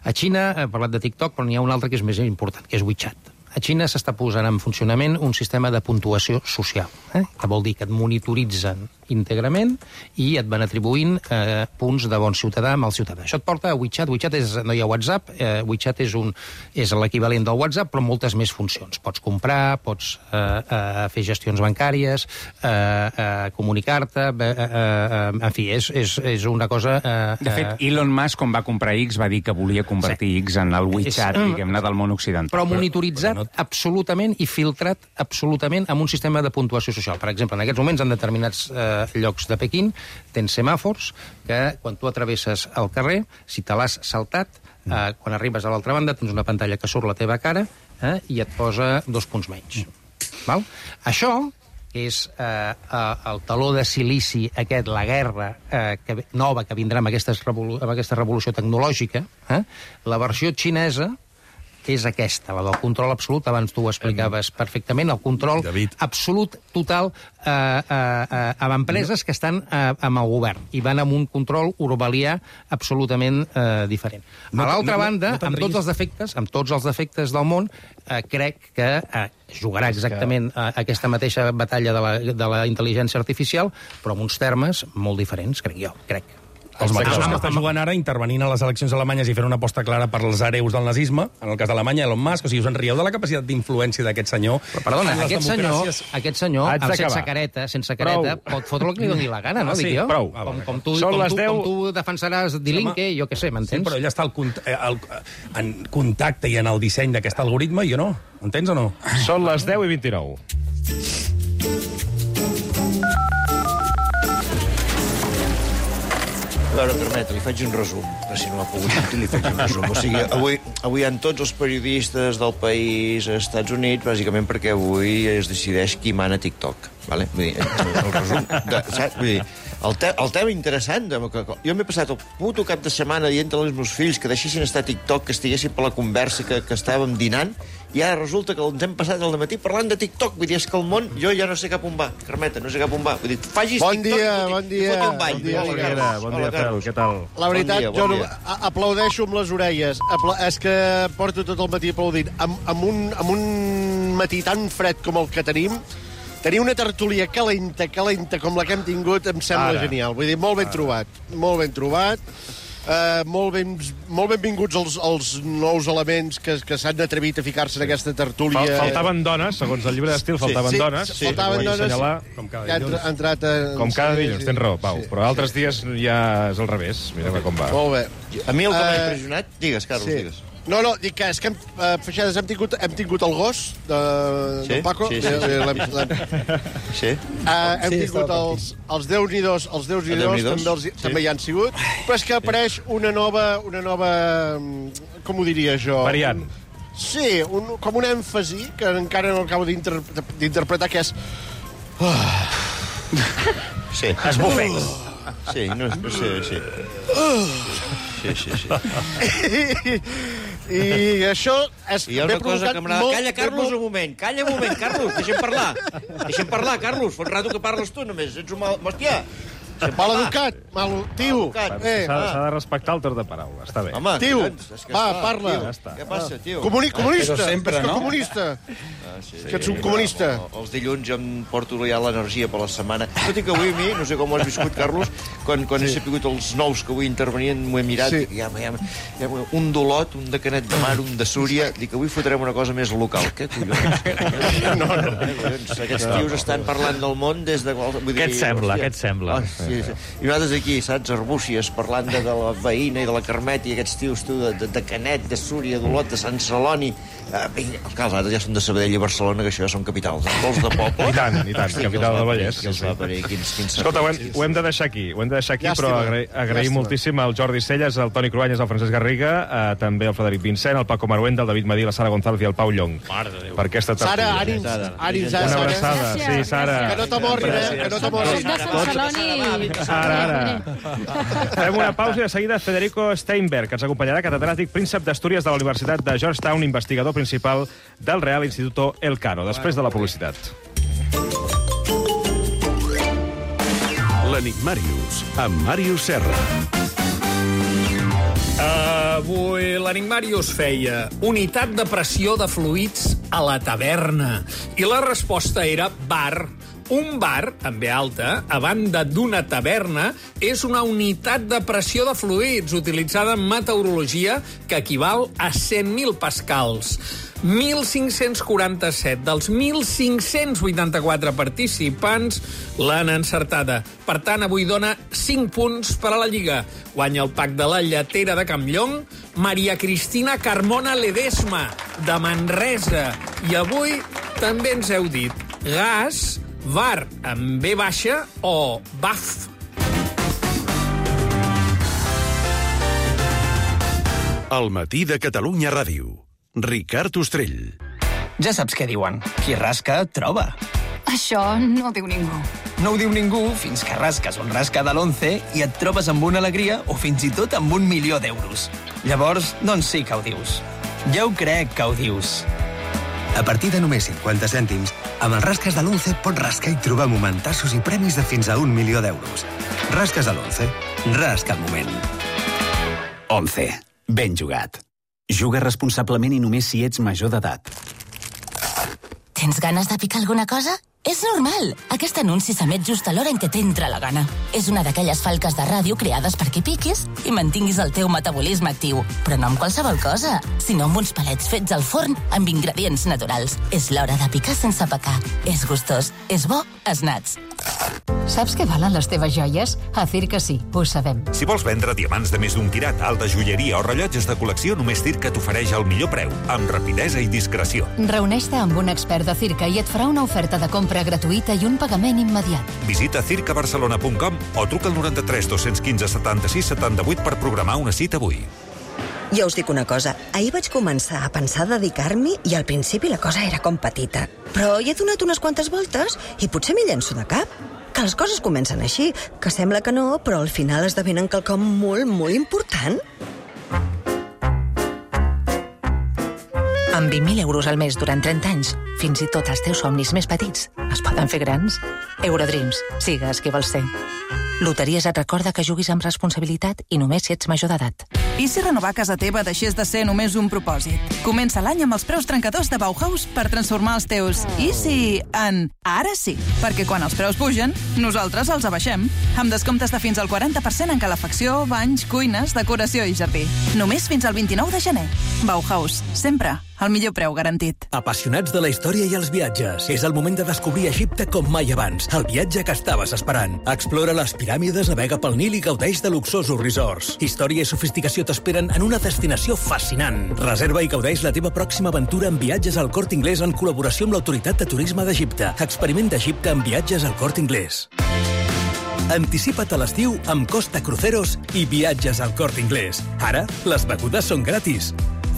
Speaker 3: A Xina, he parlat de TikTok, però n'hi ha un altre que és més important, que és WeChat. A Xina s'està posant en funcionament un sistema de puntuació social, eh? que vol dir que et monitoritzen íntegrament i et van atribuint eh, punts de bon ciutadà amb el ciutadà. Això et porta a WeChat. WeChat és, no hi ha WhatsApp, eh, WeChat és, un, és l'equivalent del WhatsApp, però moltes més funcions. Pots comprar, pots eh, eh, fer gestions bancàries, eh, eh, comunicar-te, eh, eh, en fi, és, és, és una cosa... Eh,
Speaker 4: de fet, Elon Musk, quan va comprar X, va dir que volia convertir sí. X en el WeChat, és, diguem-ne, del món occidental.
Speaker 3: Però monitoritzat però, però no... absolutament i filtrat absolutament amb un sistema de puntuació social. Per exemple, en aquests moments, en determinats eh, llocs de Pequín, tens semàfors que, quan tu travesses el carrer, si te l'has saltat, eh, quan arribes a l'altra banda, tens una pantalla que surt la teva cara eh, i et posa dos punts menys. Val? Això és eh, el taló de silici aquest, la guerra eh, que, nova que vindrà amb, revolu amb aquesta revolució tecnològica, eh? La versió xinesa és aquesta, la del control absolut. Abans tu ho explicaves perfectament, el control
Speaker 9: David.
Speaker 3: absolut, total, eh, eh, eh, amb empreses que estan eh, amb el govern i van amb un control orwellià absolutament eh, diferent.
Speaker 9: No,
Speaker 3: a l'altra
Speaker 9: no,
Speaker 3: banda,
Speaker 9: no
Speaker 3: amb tots els defectes, amb tots els defectes del món, eh, crec que eh, jugarà exactament a aquesta mateixa batalla de la, de la intel·ligència artificial, però amb uns termes molt diferents, crec jo, crec.
Speaker 9: Els mateixos que estan jugant ara, intervenint a les eleccions alemanyes i fent una aposta clara per als hereus del nazisme, en el cas d'Alemanya, Elon Musk, o sigui, us en rieu de la capacitat d'influència d'aquest senyor.
Speaker 3: Però, perdona, aquest senyor, aquest senyor,
Speaker 2: Haig
Speaker 3: amb sense
Speaker 2: d'acabar.
Speaker 3: careta, sense careta,
Speaker 2: Prou.
Speaker 3: pot fotre el que li doni la gana, no?
Speaker 2: Ah, sí,
Speaker 3: dic jo.
Speaker 2: prou.
Speaker 3: Com, com, tu,
Speaker 2: Són
Speaker 3: com,
Speaker 2: les
Speaker 3: tu,
Speaker 2: deu.
Speaker 3: com tu defensaràs Dilinque, jo què sé,
Speaker 9: Sí,
Speaker 3: m'entens?
Speaker 9: però ell està al, cont eh, al, en contacte i en el disseny d'aquest algoritme, i jo no. Entens o no?
Speaker 2: Són les deu i vint-i-nou.
Speaker 10: A veure, Carmeta, li faig un resum, però si no m'ha pogut dir, li faig un resum. O sigui, avui, avui hi ha tots els periodistes del país als Estats Units, bàsicament perquè avui es decideix qui mana TikTok. Vale? Vull dir, el resum... De, saps? Vull dir, el, te, el tema interessant... De, que, jo m'he passat el puto cap de setmana dient als meus fills que deixessin estar a TikTok, que estiguessin per la conversa, que, que estàvem dinant, i ara resulta que ens hem passat el matí parlant de TikTok. Vull dir, és que el món, jo ja no sé cap on va. Carmeta, no sé cap on va. Vull dir, facis
Speaker 11: bon
Speaker 10: TikTok
Speaker 11: dia,
Speaker 10: i
Speaker 11: bon dia,
Speaker 10: un ball.
Speaker 11: bon dia,
Speaker 10: Hola,
Speaker 2: Carles. Bon dia, Fel, què tal?
Speaker 11: La veritat,
Speaker 10: bon dia, bon
Speaker 11: jo no,
Speaker 10: dia.
Speaker 11: a- aplaudeixo amb les orelles. Apla és que porto tot el matí aplaudint. Amb, amb, un, amb un matí tan fred com el que tenim, tenir una tertúlia calenta, calenta, com la que hem tingut, em sembla
Speaker 2: Ara.
Speaker 11: genial. Vull dir, molt ben
Speaker 2: Ara.
Speaker 11: trobat. Molt ben trobat. Uh, molt, ben, molt benvinguts els, els nous elements que, que s'han atrevit a ficar-se en aquesta tertúlia.
Speaker 2: Fal faltaven dones, segons el llibre d'estil, faltaven
Speaker 11: sí,
Speaker 2: dones.
Speaker 11: Sí, faltaven
Speaker 2: Vull
Speaker 11: dones.
Speaker 2: assenyalar,
Speaker 9: com cada
Speaker 11: que ha
Speaker 9: dilluns.
Speaker 11: entra- entrat a...
Speaker 2: Com cada
Speaker 11: sí,
Speaker 2: dilluns,
Speaker 11: sí.
Speaker 2: tens raó, Pau.
Speaker 11: Sí.
Speaker 2: Però altres dies ja és al revés. Mira com va.
Speaker 11: Molt bé.
Speaker 10: A mi el que m'ha
Speaker 11: Eh,
Speaker 10: impressionat... Digues, Carlos,
Speaker 11: Sí.
Speaker 10: digues.
Speaker 11: No, no, dic que és que hem, uh, Feixades, hem tingut, hem tingut el gos de,
Speaker 10: Sí?
Speaker 11: del Paco.
Speaker 10: Sí, sí, sí.
Speaker 11: Eh, l'hem- l'hem-
Speaker 10: Sí?
Speaker 11: Uh, hem
Speaker 7: Sí,
Speaker 11: tingut
Speaker 7: estava
Speaker 11: els, els Déu-n'hi-dos, els Déu-n'hi-dos,
Speaker 10: Déu-n'hi-dos,
Speaker 11: també, els,
Speaker 10: sí.
Speaker 11: també hi han sigut, però és que apareix una nova, una nova, mm, com ho diria jo?
Speaker 2: Variant.
Speaker 11: Sí, un, com un èmfasi, que encara no acabo d'inter- d'interpretar, que és...
Speaker 10: Sí.
Speaker 6: Esbufecs.
Speaker 10: Sí, no, no sé, sí. Sí, sí, sí.
Speaker 11: I això és...
Speaker 10: I hi ha
Speaker 11: ve
Speaker 10: una cosa
Speaker 11: provocat
Speaker 10: que m'agrada...
Speaker 11: molt-
Speaker 10: Calla,
Speaker 11: ve
Speaker 10: Carlos,
Speaker 11: molt-
Speaker 10: un moment. Calla un moment, Carlos. Deixa'm parlar. Deixa'm parlar, Carlos. Fa un rato que parles tu, només. Ets un mal... Hòstia. Deixa'm
Speaker 11: Mal
Speaker 10: parlar.
Speaker 11: educat, mal... Tio,
Speaker 10: Educat.
Speaker 11: eh,
Speaker 2: S'ha s'ha de respectar el torn de paraula, està bé.
Speaker 10: Home,
Speaker 11: Tio,
Speaker 10: collons, és que
Speaker 11: va,
Speaker 10: esclar,
Speaker 11: parla.
Speaker 10: tio.
Speaker 2: Ja està.
Speaker 10: Què passa, tio?
Speaker 11: comuni comunista,
Speaker 7: Però sempre,
Speaker 11: és que
Speaker 7: no?
Speaker 11: comunista.
Speaker 10: Ah, sí,
Speaker 11: que ets un comunista.
Speaker 10: No, els dilluns jo em porto ja l'energia per la setmana. Tot i que avui a mi, no sé com ho has viscut, Carlos, quan, quan sí. he sapigut els nous que avui intervenien, m'ho he mirat,
Speaker 11: Sí.
Speaker 10: sí. ja, ja, ja, un d'Olot, un de Canet de Mar, un de Súria, dic que avui fotrem una cosa més local. Què collons? no, no. Collons, aquests tios estan parlant del món des de... Vull dir,
Speaker 6: Què et sembla,
Speaker 10: hòstia.
Speaker 6: què et sembla?
Speaker 10: Ah, sí, sí. I nosaltres aquí, saps, Arbúcies, parlant de, de la veïna i de la Carmet i aquests tios, tu, de, de, de Canet, de Súria, d'Olot, de Sant Celoni. Uh, els altres ja són de Sabadell i Barcelona, que això ja són capitals. Els vols de poble...
Speaker 2: I tant, i tant,
Speaker 10: Hosti,
Speaker 2: capital
Speaker 10: que els
Speaker 2: del
Speaker 10: va
Speaker 2: Vallès,
Speaker 10: parir, que els
Speaker 2: sí,
Speaker 10: va
Speaker 2: sí.
Speaker 10: parir, quins, quins
Speaker 2: Escolta, ho hem,
Speaker 10: serveis.
Speaker 2: ho hem de deixar aquí, ho hem de deixar aquí,
Speaker 11: Llàstima,
Speaker 2: però agrair, agrair
Speaker 11: llàstima.
Speaker 2: moltíssim al Jordi Celles, al Toni Cruanyes, al Francesc Garriga, eh, també al Frederic Vincent, al Paco Maruenda, al David Madí, la Sara González i al Pau Llong.
Speaker 6: Mare de Déu.
Speaker 2: Per aquesta
Speaker 11: Sara,
Speaker 2: tertúlia.
Speaker 11: ànims, ànims,
Speaker 2: Una
Speaker 11: Sara.
Speaker 2: abraçada, sí,
Speaker 8: Gràcies.
Speaker 2: Sara.
Speaker 11: Que no t'amorrin, eh? Que no
Speaker 8: Soc
Speaker 11: t'amorrin.
Speaker 8: de Sant Celoni.
Speaker 2: Ara, ara. Fem una pausa i de seguida Federico Steinberg, que ens acompanyarà, catedràtic príncep d'Astúries de la Universitat de Georgetown, investigador principal del Real Instituto Elcano, després de la publicitat.
Speaker 12: L'Enigmàrius, amb Màrius Serra.
Speaker 13: Avui l'Enigmàrius feia unitat de pressió de fluids a la taverna. I la resposta era bar. Un bar, amb B alta, a banda d'una taverna, és una unitat de pressió de fluids utilitzada en meteorologia que equival a cent mil pascals. mil cinc-cents quaranta-set dels mil cinc-cents vuitanta-quatre participants l'han encertada. Per tant, avui dona cinc punts per a la Lliga. Guanya el pack de la lletera de Campllong, Maria Cristina Carmona Ledesma, de Manresa. I avui també ens heu dit gas, bar amb B baixa o baf.
Speaker 12: El matí de Catalunya Ràdio. Ricard Ostrell.
Speaker 14: Ja saps què diuen. Qui rasca, troba.
Speaker 15: Això no ho diu ningú.
Speaker 14: No ho diu ningú fins que rasques un rasca de l'once i et trobes amb una alegria o fins i tot amb un milió d'euros. Llavors, doncs sí que ho dius. Ja ho crec que ho dius.
Speaker 16: A partir de només cinquanta cèntims, amb els rasques de l'once pots rascar i trobar momentassos i premis de fins a un milió d'euros. Rasques de l'once. Rasca el moment.
Speaker 17: Once. Ben jugat. Juga responsablement i només si ets major d'edat.
Speaker 15: Tens ganes de picar alguna cosa? És normal. Aquest anunci s'emet just a l'hora en què t'entra la gana. És una d'aquelles falques de ràdio creades perquè piquis i mantinguis el teu metabolisme actiu. Però no amb qualsevol cosa, sinó amb uns palets fets al forn amb ingredients naturals. És l'hora de picar sense pecar. És gustós, és bo, és nats.
Speaker 18: Saps què valen les teves joies? A Circa sí, ho sabem.
Speaker 19: Si vols vendre diamants de més d'un quirat, alta joieria o rellotges de col·lecció, només Circa t'ofereix el millor preu, amb rapidesa i discreció.
Speaker 18: Reuneix-te amb un expert de Circa i et farà una oferta de compra gratuïta i un pagament immediat.
Speaker 19: Visita circa barcelona punt com o truca al noranta-tres dos-cents quinze setanta-sis setanta-vuit per programar una cita avui.
Speaker 20: Jo us dic una cosa, ahir vaig començar a pensar dedicar-m'hi i al principi la cosa era com petita. Però hi he donat unes quantes voltes i potser m'hi llenço de cap. Que les coses comencen així, que sembla que no, però al final esdevenen quelcom molt, molt important.
Speaker 21: Amb vint mil euros al mes durant trenta anys, fins i tot els teus somnis més petits es poden fer grans. Eurodreams, sigues qui vols ser. Loteries et recorda que juguis amb responsabilitat i només si ets major d'edat.
Speaker 22: I si renovar casa teva deixés de ser només un propòsit? Comença l'any amb els preus trencadors de Bauhaus per transformar els teus i si en ara sí, perquè quan els preus pugen, nosaltres els abaixem. Amb descomptes de fins al quaranta per cent en calefacció, banys, cuines, decoració i jardí. Només fins al vint-i-nou de gener. Bauhaus, sempre al millor preu garantit.
Speaker 23: Apassionats de la història i els viatges. És el moment de descobrir Egipte com mai abans. El viatge que estaves esperant. Explora les piràmides, navega pel Nil i gaudeix de luxosos resorts. Història i sofisticació t'esperen en una destinació fascinant. Reserva i gaudeix la teva pròxima aventura en viatges al Corte Inglés en col·laboració amb l'Autoritat de Turisme d'Egipte. Experiment d'Egipte en viatges al Corte Inglés. Anticipa't a l'estiu amb Costa Cruceros i viatges al Corte Inglés. Ara, les begudes són gratis.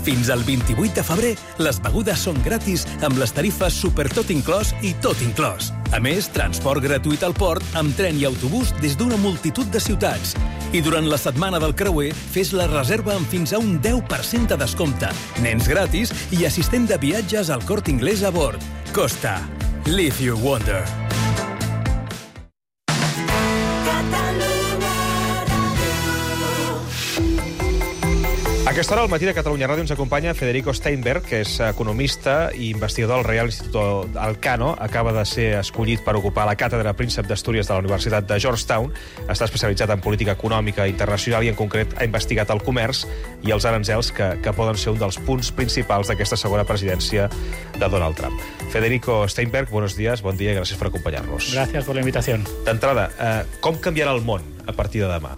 Speaker 23: Fins al vint-i-vuit de febrer, les begudes són gratis amb les tarifes Super Tot Inclòs i Tot Inclòs. A més, transport gratuït al port amb tren i autobús des d'una multitud de ciutats. I durant la setmana del creuer, fes la reserva amb fins a un deu per cent de descompte, nens gratis i assistent de viatges al Corte Inglés a bord. Costa. Live your wonder.
Speaker 2: A aquesta hora, al matí de Catalunya Ràdio, ens acompanya Federico Steinberg, que és economista i investigador del Real Instituto Elcano. Acaba de ser escollit per ocupar la càtedra Príncep d'Astúries de la Universitat de Georgetown. Està especialitzat en política econòmica internacional i, en concret, ha investigat el comerç i els aranzels que, que poden ser un dels punts principals d'aquesta segona presidència de Donald Trump. Federico Steinberg, buenos días, bon dia i gràcies per acompanyar-nos.
Speaker 24: Gracias por la invitación.
Speaker 2: D'entrada, eh, com canviarà el món a partir de demà?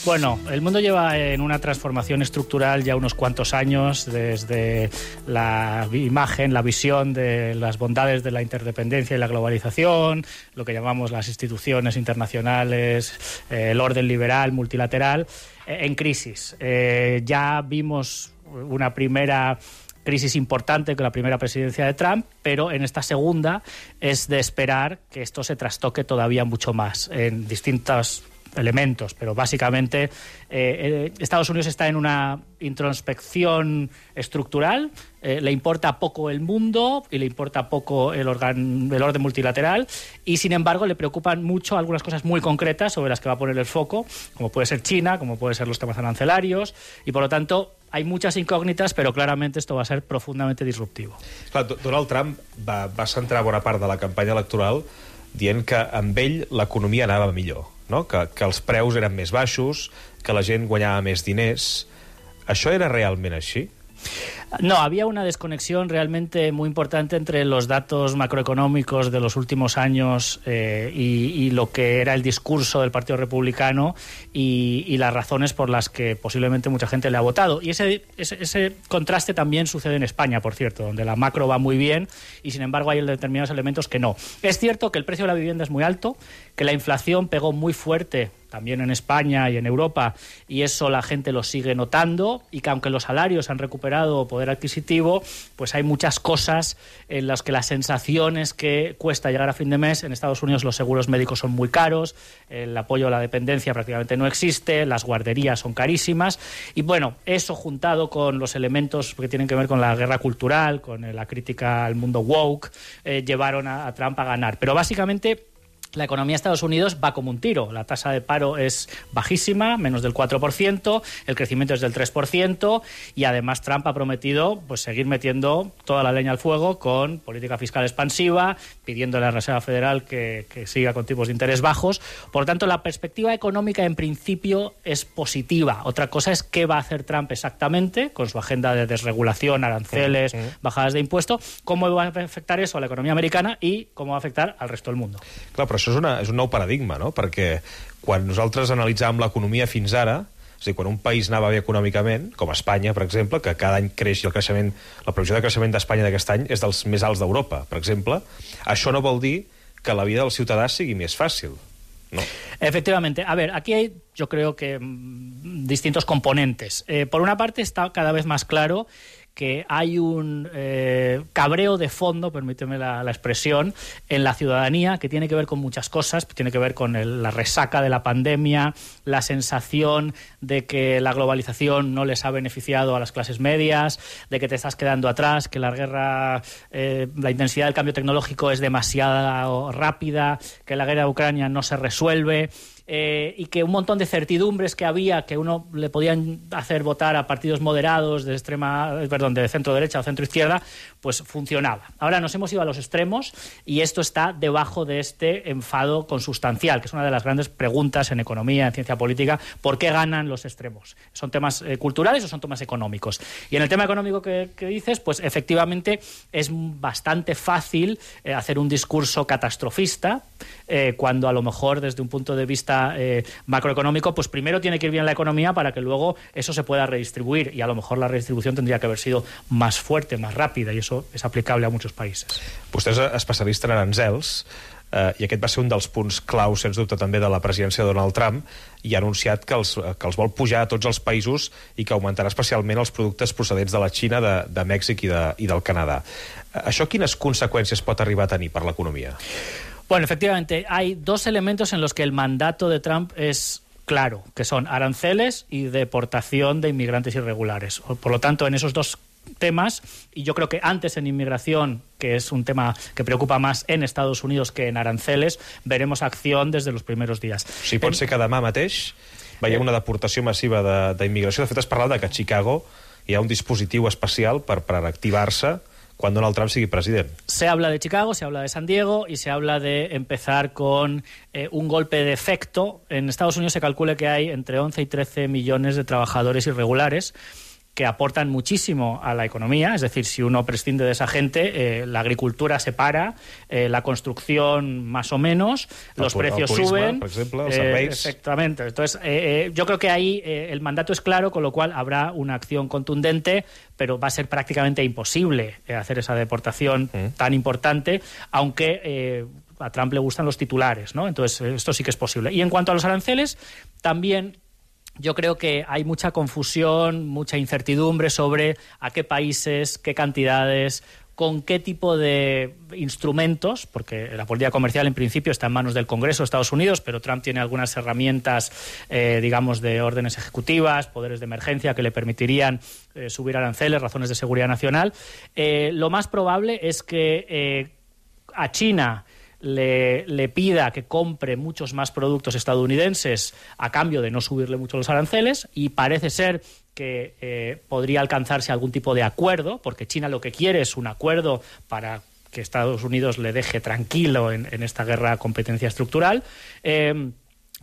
Speaker 24: Bueno, el mundo lleva en una transformación estructural ya unos cuantos años, desde la imagen, la visión de las bondades de la interdependencia y la globalización, lo que llamamos las instituciones internacionales, eh, el orden liberal, multilateral, eh, en crisis. Eh, ya vimos una primera crisis importante con la primera presidencia de Trump, pero en esta segunda es de esperar que esto se trastoque todavía mucho más en distintos elementos, pero básicamente eh, eh, Estados Unidos está en una introspección estructural, eh, le importa poco el mundo y le importa poco el, organ, el orden multilateral y, sin embargo, le preocupan mucho algunas cosas muy concretas sobre las que va a poner el foco, como puede ser China, como puede ser los temas arancelarios y, por lo tanto, hay muchas incògnites, però clarament esto va a ser profundamente disruptivo.
Speaker 2: Clar, Donald Trump va, va centrar bona part de la campanya electoral dient que amb ell l'economia anava millor, no? que, que els preus eren més baixos, que la gent guanyava més diners. Això era realment així?
Speaker 24: No, había una desconexión realmente muy importante entre los datos macroeconómicos de los últimos años eh, y, y lo que era el discurso del Partido Republicano y, y las razones por las que posiblemente mucha gente le ha votado. Y ese, ese, ese contraste también sucede en España, por cierto, donde la macro va muy bien y, sin embargo, hay determinados elementos que no. Es cierto que el precio de la vivienda es muy alto, que la inflación pegó muy fuerte también en España y en Europa, y eso la gente lo sigue notando, y que aunque los salarios han recuperado poder adquisitivo, pues hay muchas cosas en las que la sensación es que cuesta llegar a fin de mes. En Estados Unidos los seguros médicos son muy caros, el apoyo a la dependencia prácticamente no existe, las guarderías son carísimas, y bueno, eso juntado con los elementos que tienen que ver con la guerra cultural, con la crítica al mundo woke, eh, llevaron a, a Trump a ganar. Pero básicamente la economía de Estados Unidos va como un tiro. La tasa de paro es bajísima, menos del cuatro por ciento, el crecimiento es del tres por ciento y además Trump ha prometido pues seguir metiendo toda la leña al fuego con política fiscal expansiva, pidiendo a la Reserva Federal que, que siga con tipos de interés bajos. Por lo tanto, la perspectiva económica en principio es positiva. Otra cosa es qué va a hacer Trump exactamente con su agenda de desregulación, aranceles, uh-huh. bajadas de impuestos, cómo va a afectar eso a la economía americana y cómo va a afectar al resto del mundo.
Speaker 2: Clar, però això és, una, és un nou paradigma, no? Perquè quan nosaltres analitzàvem l'economia fins ara, és a dir, quan un país anava bé econòmicament, com Espanya, per exemple, que cada any creix i el creixement, la previsió de creixement d'Espanya d'aquest any és dels més alts d'Europa, per exemple, això no vol dir que la vida del ciutadà sigui més fàcil. ¿no?
Speaker 24: Efectivamente. A ver, aquí hay, yo creo que mmm, distintos componentes. Eh, por una parte, está cada vez más claro que hay un eh, cabreo de fondo, permíteme la, la expresión, en la ciudadanía, que tiene que ver con muchas cosas, tiene que ver con el, la resaca de la pandemia, la sensación de que la globalización no les ha beneficiado a las clases medias, de que te estás quedando atrás, que la guerra, eh, la intensidad del cambio tecnológico es demasiado rápida, que la guerra de Ucrania no se resuelve. Eh, y que un montón de certidumbres que había, que uno le podían hacer votar a partidos moderados de extrema, perdón, de centro derecha o centro izquierda, pues funcionaba. Ahora nos hemos ido a los extremos y esto está debajo de este enfado consustancial, que es una de las grandes preguntas en economía, en ciencia política: ¿por qué ganan los extremos? ¿Son temas eh, culturales o son temas económicos? Y en el tema económico que, que dices, pues efectivamente es bastante fácil eh, hacer un discurso catastrofista eh, cuando a lo mejor desde un punto de vista Eh, macroeconómico, pues primero tiene que ir bien la economía para que luego eso se pueda redistribuir, y a lo mejor la redistribució tendria que haver sido más fuerte, más ràpida, i això és aplicable a muchos países.
Speaker 2: Vostè és especialista en aranzels, eh, i aquest va ser un dels punts clau, sens dubte, també de la presidència de Donald Trump, i ha anunciat que els, que els vol pujar a tots els països i que augmentarà especialment els productes procedents de la Xina, de, de Mèxic i, de, i del Canadà. Això quines conseqüències pot arribar a tenir per l'economia?
Speaker 24: Bueno, efectivamente, hay dos elementos en los que el mandato de Trump es claro, que son aranceles y deportación de inmigrantes irregulares. Por lo tanto, en esos dos temas, y yo creo que antes en inmigración, que es un tema que preocupa más en Estados Unidos que en aranceles, veremos acción desde los primeros días.
Speaker 2: Sí, pot ser que demà mateix veiem una deportació massiva d'immigració. De, de fet, es parla de que a Chicago hi ha un dispositiu especial per, per activar-se quan Donald Trump sigui president.
Speaker 24: Se habla de Chicago, se habla de San Diego y se habla de empezar con eh, un golpe de efecto. En Estados Unidos se calcula que hay entre once y trece millones de trabajadores irregulares que aportan muchísimo a la economía. Es decir, si uno prescinde de esa gente, eh, la agricultura se para, eh, la construcción más o menos, el los precios turisme, suben.
Speaker 2: Por ejemplo, los
Speaker 24: eh, exactamente. Entonces, eh, eh, yo creo que ahí eh, el mandato es claro, con lo cual habrá una acción contundente, pero va a ser prácticamente imposible eh, hacer esa deportación mm. tan importante, aunque eh, a Trump le gustan los titulares, ¿no? Entonces, esto sí que es posible. Y en cuanto a los aranceles, también yo creo que hay mucha confusión, mucha incertidumbre sobre a qué países, qué cantidades, con qué tipo de instrumentos, porque la política comercial en principio está en manos del Congreso de Estados Unidos, pero Trump tiene algunas herramientas, eh, digamos, de órdenes ejecutivas, poderes de emergencia que le permitirían eh, subir aranceles, razones de seguridad nacional. Eh, lo más probable es que eh, a China Le, le pida que compre muchos más productos estadounidenses a cambio de no subirle mucho los aranceles, y parece ser que eh, podría alcanzarse algún tipo de acuerdo, porque China lo que quiere es un acuerdo para que Estados Unidos le deje tranquilo en, en esta guerra de competencia estructural. Eh,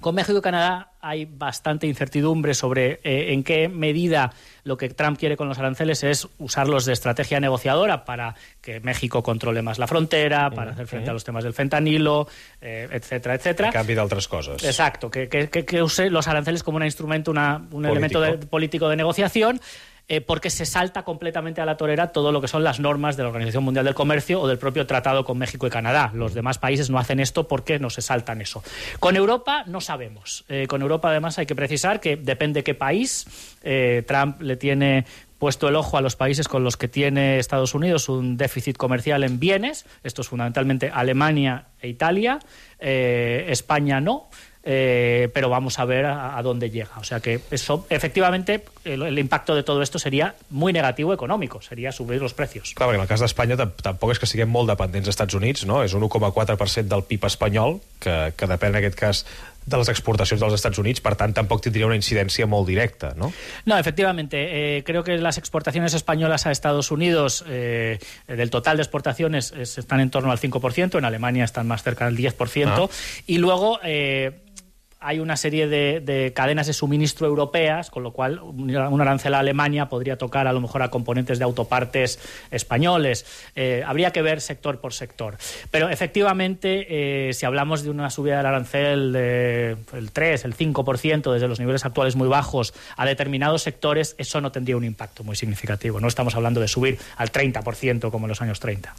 Speaker 24: Con México y Canadá hay bastante incertidumbre sobre eh, en qué medida lo que Trump quiere con los aranceles es usarlos de estrategia negociadora para que México controle más la frontera, para hacer frente a los temas del fentanilo, eh, etcétera, etcétera.
Speaker 2: A canvi d'altres coses.
Speaker 24: Exacto, que, que, que use los aranceles como un instrumento, una, un político. elemento de, político de negociación. Eh, porque se salta completamente a la torera todo lo que son las normas de la Organización Mundial del Comercio o del propio tratado con México y Canadá. Los demás países no hacen esto porque no se saltan eso. Con Europa no sabemos. Eh, con Europa, además, hay que precisar que depende qué país. Eh, Trump le tiene puesto el ojo a los países con los que tiene Estados Unidos un déficit comercial en bienes. Esto es fundamentalmente Alemania e Italia. Eh, España no. Eh, pero vamos a ver a, a dónde llega. O sea que eso, efectivamente, el, el impacto de todo esto sería muy negativo económico, sería subir los precios.
Speaker 2: Clar, perquè en el cas d'Espanya tampoc és que siguem molt dependents dels Estats Units, no? És un u coma quatre per cent del P I B espanyol, que, que depèn en aquest cas de les exportacions dels Estats Units, per tant tampoc tindria una incidència molt directa, ¿no?
Speaker 24: No, efectivamente, eh, creo que las exportaciones españolas a Estados Unidos eh, del total de exportaciones es, están en torno al cinco por ciento, en Alemania están más cerca del diez por ciento, ah. y luego eh, hay una serie de, de cadenas de suministro europeas, con lo cual un arancel a Alemania podría tocar a lo mejor a componentes de autopartes españoles. Eh, habría que ver sector por sector. Pero efectivamente, eh, si hablamos de una subida del arancel del tres, el cinco por ciento desde los niveles actuales muy bajos a determinados sectores, eso no tendría un impacto muy significativo. No estamos hablando de subir al treinta por ciento como en los años treinta.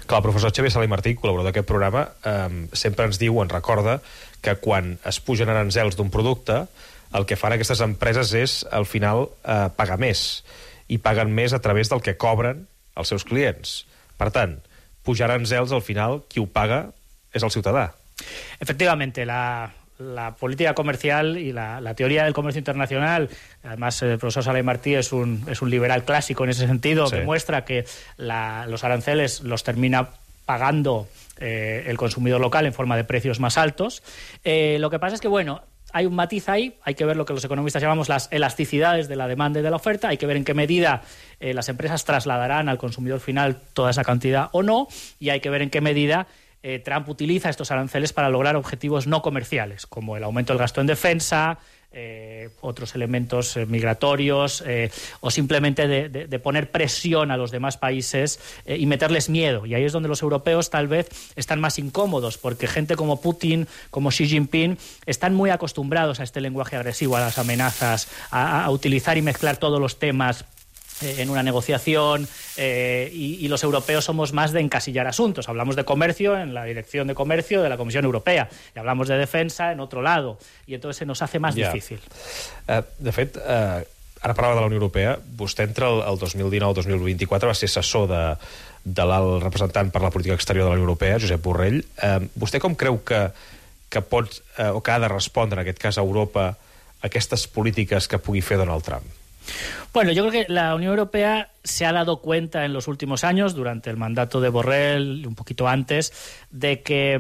Speaker 2: Clar, el professor Xavier Sala i Martí, col·laborador d'aquest programa, eh, sempre ens diu, ens recorda, que quan es pugen aranzels d'un producte, el que fan aquestes empreses és, al final, eh, pagar més. I paguen més a través del que cobren els seus clients. Per tant, pujar aranzels, al final, qui ho paga és el ciutadà.
Speaker 24: Efectivamente, la... la política comercial y la, la teoría del comercio internacional, además el profesor Sala y Martí es un, es un liberal clásico en ese sentido, sí. Demuestra que la, los aranceles los termina pagando eh, el consumidor local en forma de precios más altos. Eh, lo que pasa es que, bueno, hay un matiz ahí, hay que ver lo que los economistas llamamos las elasticidades de la demanda y de la oferta, hay que ver en qué medida eh, las empresas trasladarán al consumidor final toda esa cantidad o no, y hay que ver en qué medida Eh, Trump utiliza estos aranceles para lograr objetivos no comerciales, como el aumento del gasto en defensa, eh, otros elementos eh, migratorios, eh, o simplemente de, de, de poner presión a los demás países eh, y meterles miedo. Y ahí es donde los europeos tal vez están más incómodos, porque gente como Putin, como Xi Jinping, están muy acostumbrados a este lenguaje agresivo, a las amenazas, a, a utilizar y mezclar todos los temas en una negociación, eh, y, y los europeos somos más de encasillar asuntos. Hablamos de comercio en la Dirección de Comercio de la Comisión Europea y hablamos de defensa en otro lado, y entonces se nos hace más yeah. difícil.
Speaker 2: Uh, de fet, uh, ara parlava de la Unió Europea, vostè entre el, el dos mil dinou i dos mil vint-i-quatre va ser assessor de, de l'alt representant per la política exterior de la Unió Europea, Josep Borrell. Uh, vostè com creu que, que pot, uh, o que ha de respondre, en aquest cas, a Europa, a aquestes polítiques que pugui fer Donald Trump?
Speaker 24: Bueno, yo creo que la Unión Europea se ha dado cuenta en los últimos años, durante el mandato de Borrell, un poquito antes, de que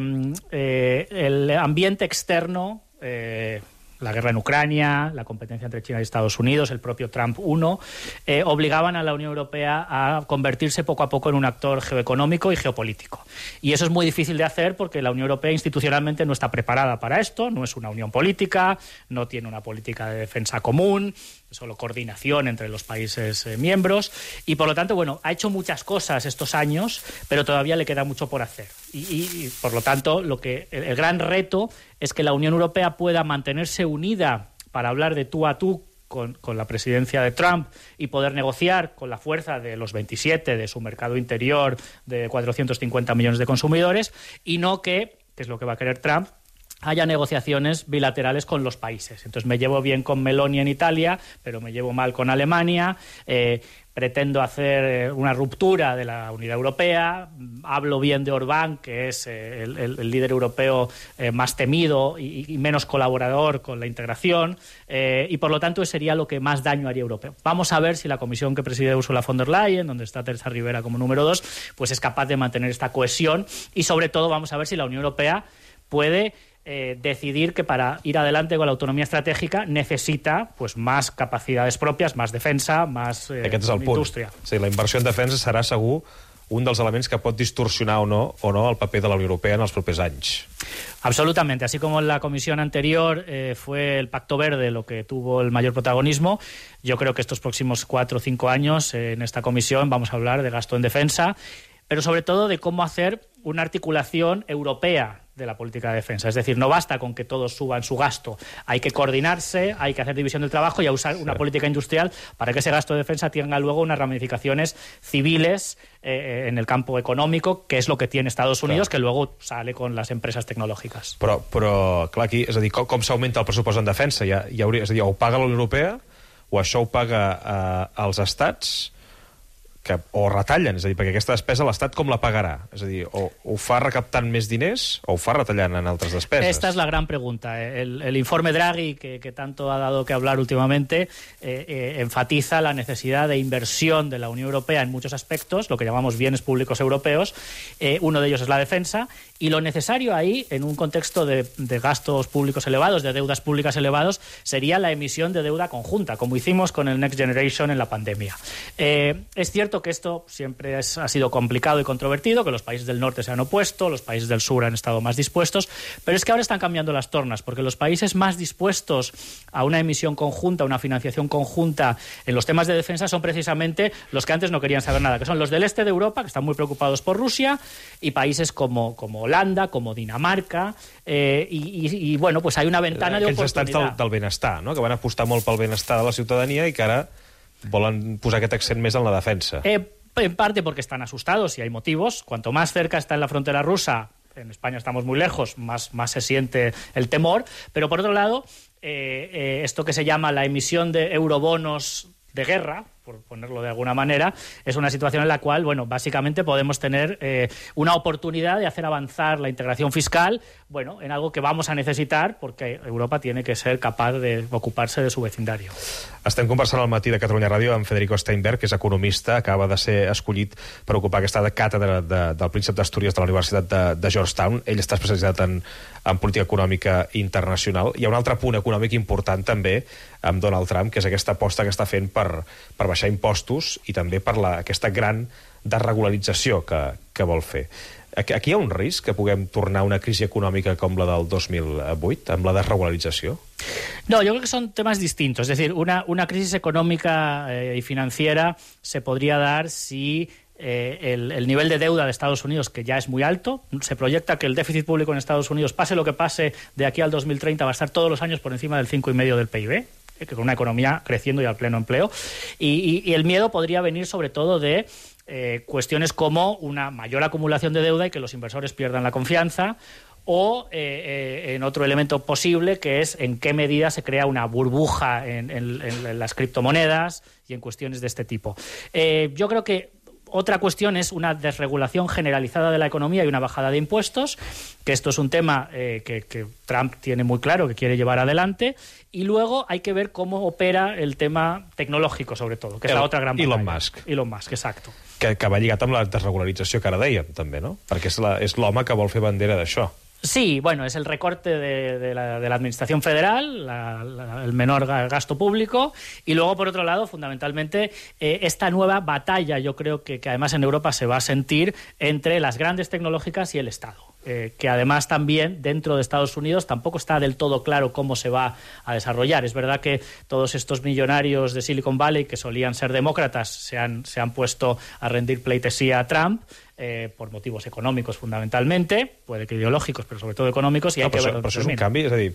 Speaker 24: eh, el ambiente externo, eh, la guerra en Ucrania, la competencia entre China y Estados Unidos, el propio Trump uno, eh, obligaban a la Unión Europea a convertirse poco a poco en un actor geoeconómico y geopolítico. Y eso es muy difícil de hacer porque la Unión Europea institucionalmente no está preparada para esto, no es una unión política, no tiene una política de defensa común, solo coordinación entre los países eh, miembros, y por lo tanto, bueno, ha hecho muchas cosas estos años, pero todavía le queda mucho por hacer. Y, y, y por lo tanto, lo que el, el gran reto es que la Unión Europea pueda mantenerse unida para hablar de tú a tú con, con la presidencia de Trump y poder negociar con la fuerza de los veintisiete, de su mercado interior de cuatrocientos cincuenta millones de consumidores, y no que, que es lo que va a querer Trump, haya negociaciones bilaterales con los países. Entonces me llevo bien con Meloni en Italia, pero me llevo mal con Alemania, eh, pretendo hacer una ruptura de la unidad europea, hablo bien de Orbán, que es eh, el, el, el líder europeo eh, más temido y, y menos colaborador con la integración, eh, y por lo tanto sería lo que más daño haría a Europa. Vamos a ver si la comisión que preside Ursula von der Leyen, donde está Teresa Rivera como número dos, pues es capaz de mantener esta cohesión, y sobre todo vamos a ver si la Unión Europea puede Eh, decidir que para ir adelante con la autonomía estratégica necesita pues, más capacidades propias, más defensa, más eh,
Speaker 2: Aquest és el punt.
Speaker 24: indústria.
Speaker 2: Sí, la inversió en defensa serà segur un dels elements que pot distorsionar o no, o no el paper de la Unió Europea en els propers anys.
Speaker 24: Absolutamente. Así como en la comisión anterior eh, fue el Pacto Verde lo que tuvo el mayor protagonismo, yo creo que estos próximos cuatro o cinco años eh, en esta comisión vamos a hablar de gasto en defensa, pero sobre todo de cómo hacer una articulación europea de la política de defensa. Es decir, no basta con que todos suban su gasto. Hay que coordinarse, hay que hacer división del trabajo y a usar una sí. política industrial para que ese gasto de defensa tenga luego unas ramificaciones civiles eh, en el campo económico, que es lo que tiene Estados Unidos, clar. Que luego sale con las empresas tecnológicas.
Speaker 2: Però, però clar, aquí, és a dir, com, com s'augmenta el pressupost en defensa? Ja, ja hauria, és a dir, o ho paga la Unió Europea o això ho paga eh, els estats, que, o retallen, és a dir, perquè aquesta despesa l'Estat com la pagarà? És a dir, o ho fa recaptant més diners o ho fa retallant en altres despeses?
Speaker 24: Esta es la gran pregunta. El, el informe Draghi, que, que tanto ha dado que hablar últimamente, eh, eh, enfatiza la necesidad de inversión de la Unión Europea en muchos aspectos, lo que llamamos bienes públicos europeos. Eh, uno de ellos es la defensa, y lo necesario ahí, en un contexto de, de gastos públicos elevados, de deudas públicas elevados, sería la emisión de deuda conjunta, como hicimos con el Next Generation en la pandemia. Eh, es cierto que esto siempre es, ha sido complicado y controvertido, que los países del norte se han opuesto, los países del sur han estado más dispuestos, pero es que ahora están cambiando las tornas, porque los países más dispuestos a una emisión conjunta, a una financiación conjunta en los temas de defensa son precisamente los que antes no querían saber nada, que son los del este de Europa, que están muy preocupados por Rusia, y países como, como Holanda, como Dinamarca, eh, y, y, y bueno, pues hay una ventana de oportunidad.
Speaker 2: Aquells estats del, del benestar, no? Que van apostar molt pel benestar de la ciutadania i que ara volen posar aquest accent més en la defensa.
Speaker 24: Eh, en parte porque están asustados y hay motivos. Cuanto más cerca está en la frontera rusa, en España estamos muy lejos, más, más se siente el temor, pero por otro lado, eh, eh, esto que se llama la emisión de eurobonos de guerra, por ponerlo de alguna manera, es una situación en la cual, bueno, básicamente podemos tener eh, una oportunidad de hacer avanzar la integración fiscal, bueno, en algo que vamos a necesitar porque Europa tiene que ser capaz de ocuparse de su vecindario.
Speaker 2: Estem conversant al matí de Catalunya Ràdio amb Federico Steinberg, que és economista, acaba de ser escollit per ocupar aquesta càtedra de, del Príncep d'Astúries de la Universitat de, de Georgetown. Ell està especialitzat en, en política econòmica internacional. Hi ha un altre punt econòmic important també amb Donald Trump, que és aquesta aposta que està fent per, per baixar impostos i també per la, aquesta gran desregularització que, que vol fer. Aquí, aquí hi ha un risc que puguem tornar a una crisi econòmica com la del dos mil vuit, amb la desregularització?
Speaker 24: No, yo creo que son temas distintos. Es decir, una, una crisis económica eh, y financiera se podría dar si eh, el, el nivel de deuda de Estados Unidos, que ya es muy alto, se proyecta que el déficit público en Estados Unidos, pase lo que pase de aquí al dos mil treinta, va a estar todos los años por encima del cinco coma cinco del P I B, que con una economía creciendo y al pleno empleo. Y, y, y el miedo podría venir sobre todo de eh, cuestiones como una mayor acumulación de deuda y que los inversores pierdan la confianza, o eh, eh, en otro elemento posible, que es en qué medida se crea una burbuja en, en, en las criptomonedas y en cuestiones de este tipo. Eh, yo creo que otra cuestión es una desregulación generalizada de la economía y una bajada de impuestos, que esto es un tema eh, que, que Trump tiene muy claro que quiere llevar adelante, y luego hay que ver cómo opera el tema tecnológico, sobre todo, que és la otra gran batalla.
Speaker 2: Elon Musk.
Speaker 24: Elon Musk, exacto.
Speaker 2: Que, que va lligat amb la desregularització que ara dèiem, també, no? Perquè és l'home que vol fer bandera d'això.
Speaker 24: Sí, bueno, es el recorte de, de, la, de la administración federal, la, la, el menor gasto público, y luego, por otro lado, fundamentalmente, eh, esta nueva batalla, yo creo que, que además en Europa se va a sentir entre las grandes tecnológicas y el Estado. Eh, que además también dentro de Estados Unidos tampoco está del todo claro cómo se va a desarrollar. Es verdad que todos estos millonarios de Silicon Valley, que solían ser demócratas, se han, se han puesto a rendir pleitesía a Trump, eh, por motivos econòmics fundamentalmente, puede que ideològics, però sobretot econòmics, i
Speaker 2: no,
Speaker 24: hay que
Speaker 2: però,
Speaker 24: ver.
Speaker 2: però això és un canvi, és a dir,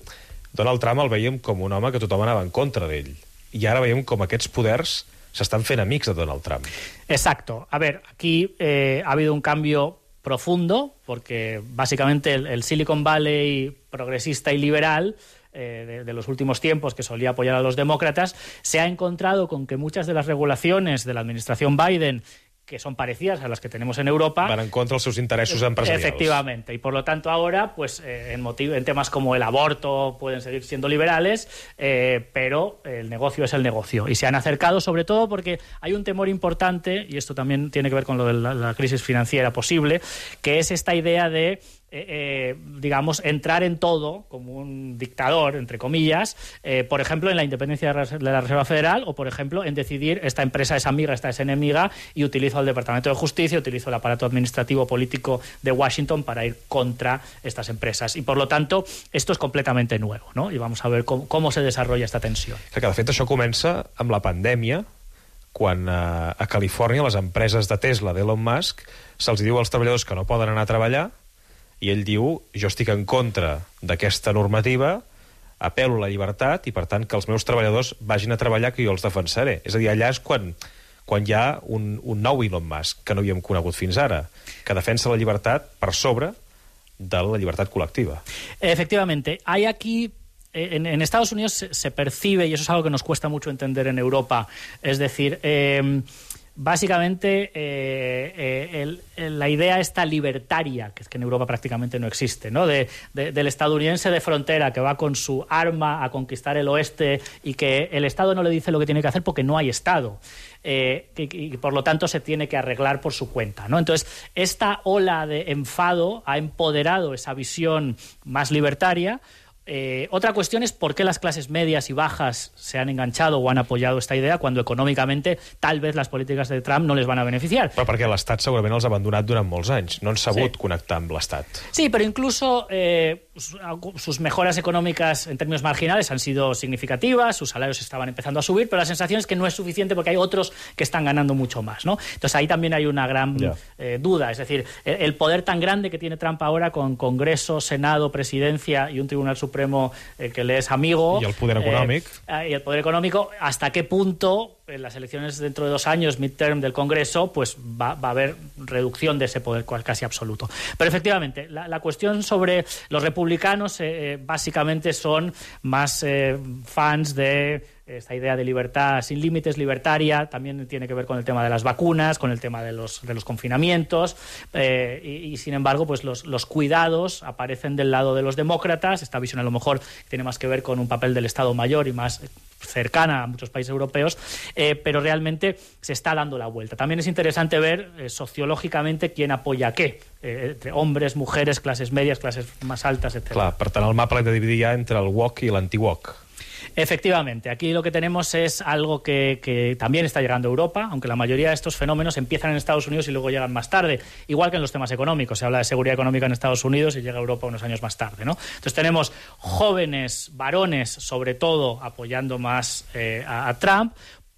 Speaker 2: Donald Trump el veiem com un home que tothom anava en contra d'ell, i ara veiem com aquests poders s'estan fent amics de Donald Trump.
Speaker 24: Exacto. A ver, aquí eh, ha habido un cambio profundo, porque básicamente el, el Silicon Valley progresista y liberal eh, de, de los últimos tiempos, que solía apoyar a los demócratas, se ha encontrado con que muchas de las regulaciones de la administración Biden, que son parecidas a las que tenemos en Europa,
Speaker 2: van en contra dels seus interessos empresarials.
Speaker 24: Efectivamente, y por lo tanto ahora, pues eh, en, motiv en temas como el aborto pueden seguir siendo liberales, eh, pero el negocio es el negocio. Y se han acercado sobre todo porque hay un temor importante, y esto también tiene que ver con lo de la, la crisis financiera posible, que es esta idea de Eh, eh, digamos, entrar en todo como un dictador, entre comillas, eh, por ejemplo, en la independencia de la Reserva Federal, o por ejemplo, en decidir esta empresa es amiga, esta es enemiga, y utilizo el Departamento de Justicia, utilizo el aparato administrativo político de Washington para ir contra estas empresas. Y por lo tanto, esto es completamente nuevo, ¿no? Y vamos a ver cómo, cómo se desarrolla esta tensión.
Speaker 2: Que de fet això comença amb la pandèmia, quan a, a Califòrnia les empreses de Tesla, d'Elon Musk, se'ls diu als treballadors que no poden anar a treballar, i ell diu, jo estic en contra d'aquesta normativa, apel·lo a la llibertat i, per tant, que els meus treballadors vagin a treballar, que jo els defensaré. És a dir, allà és quan, quan hi ha un, un nou Elon Musk, que no havíem conegut fins ara, que defensa la llibertat per sobre de la llibertat col·lectiva.
Speaker 24: Efectivamente. Hay aquí... En, en Estados Unidos se, se percibe, y eso es algo que nos cuesta mucho entender en Europa, es decir... Eh, Básicamente, eh, eh, el, el, la idea esta libertaria, que es que en Europa prácticamente no existe, ¿no? De, de, del estadounidense de frontera que va con su arma a conquistar el oeste y que el Estado no le dice lo que tiene que hacer porque no hay Estado. Eh, y, y por lo tanto se tiene que arreglar por su cuenta, ¿no? Entonces, esta ola de enfado ha empoderado esa visión más libertaria. Eh, otra cuestión es por qué las clases medias y bajas se han enganchado o han apoyado esta idea cuando econòmicamente tal vez las políticas de Trump no les van a beneficiar.
Speaker 2: Però perquè l'Estat segurament els ha abandonat durant molts anys. No han sabut sí. connectar amb l'Estat.
Speaker 24: Sí, pero incluso eh, sus mejoras económicas en términos marginales han sido significativas, sus salarios estaban empezando a subir, pero la sensación es que no es suficiente porque hay otros que están ganando mucho más, ¿no? Entonces ahí también hay una gran yeah. eh, duda. Es decir, el, el poder tan grande que tiene Trump ahora con Congreso, Senado, Presidencia y un Tribunal Supremo Supremo eh, que le es amigo.
Speaker 2: Y el poder económico.
Speaker 24: Eh, y el poder económico, ¿hasta qué punto en las elecciones dentro de dos años, midterm del Congreso, pues va, va a haber reducción de ese poder casi absoluto? Pero efectivamente, la, la cuestión sobre los republicanos eh, básicamente son más eh, fans de esta idea de libertad sin límites, libertaria, también tiene que ver con el tema de las vacunas, con el tema de los, de los confinamientos, eh, y, y sin embargo, pues los, los cuidados aparecen del lado de los demócratas. Esta visión a lo mejor tiene más que ver con un papel del Estado Mayor y más cercana a muchos países europeos, eh, pero realmente se está dando la vuelta. También es interesante ver eh, sociológicamente quién apoya qué, eh, entre hombres, mujeres, clases medias, clases más altas, etcétera.
Speaker 2: Clar, per tant, el mapa l'hem de dividir ja entre el woke i l'anti-woke.
Speaker 24: Efectivamente, aquí lo que tenemos es algo que, que también está llegando a Europa, aunque la mayoría de estos fenómenos empiezan en Estados Unidos y luego llegan más tarde, igual que en los temas económicos. Se habla de seguridad económica en Estados Unidos y llega a Europa unos años más tarde, ¿no? Entonces tenemos jóvenes, varones, sobre todo, apoyando más eh, a, a Trump.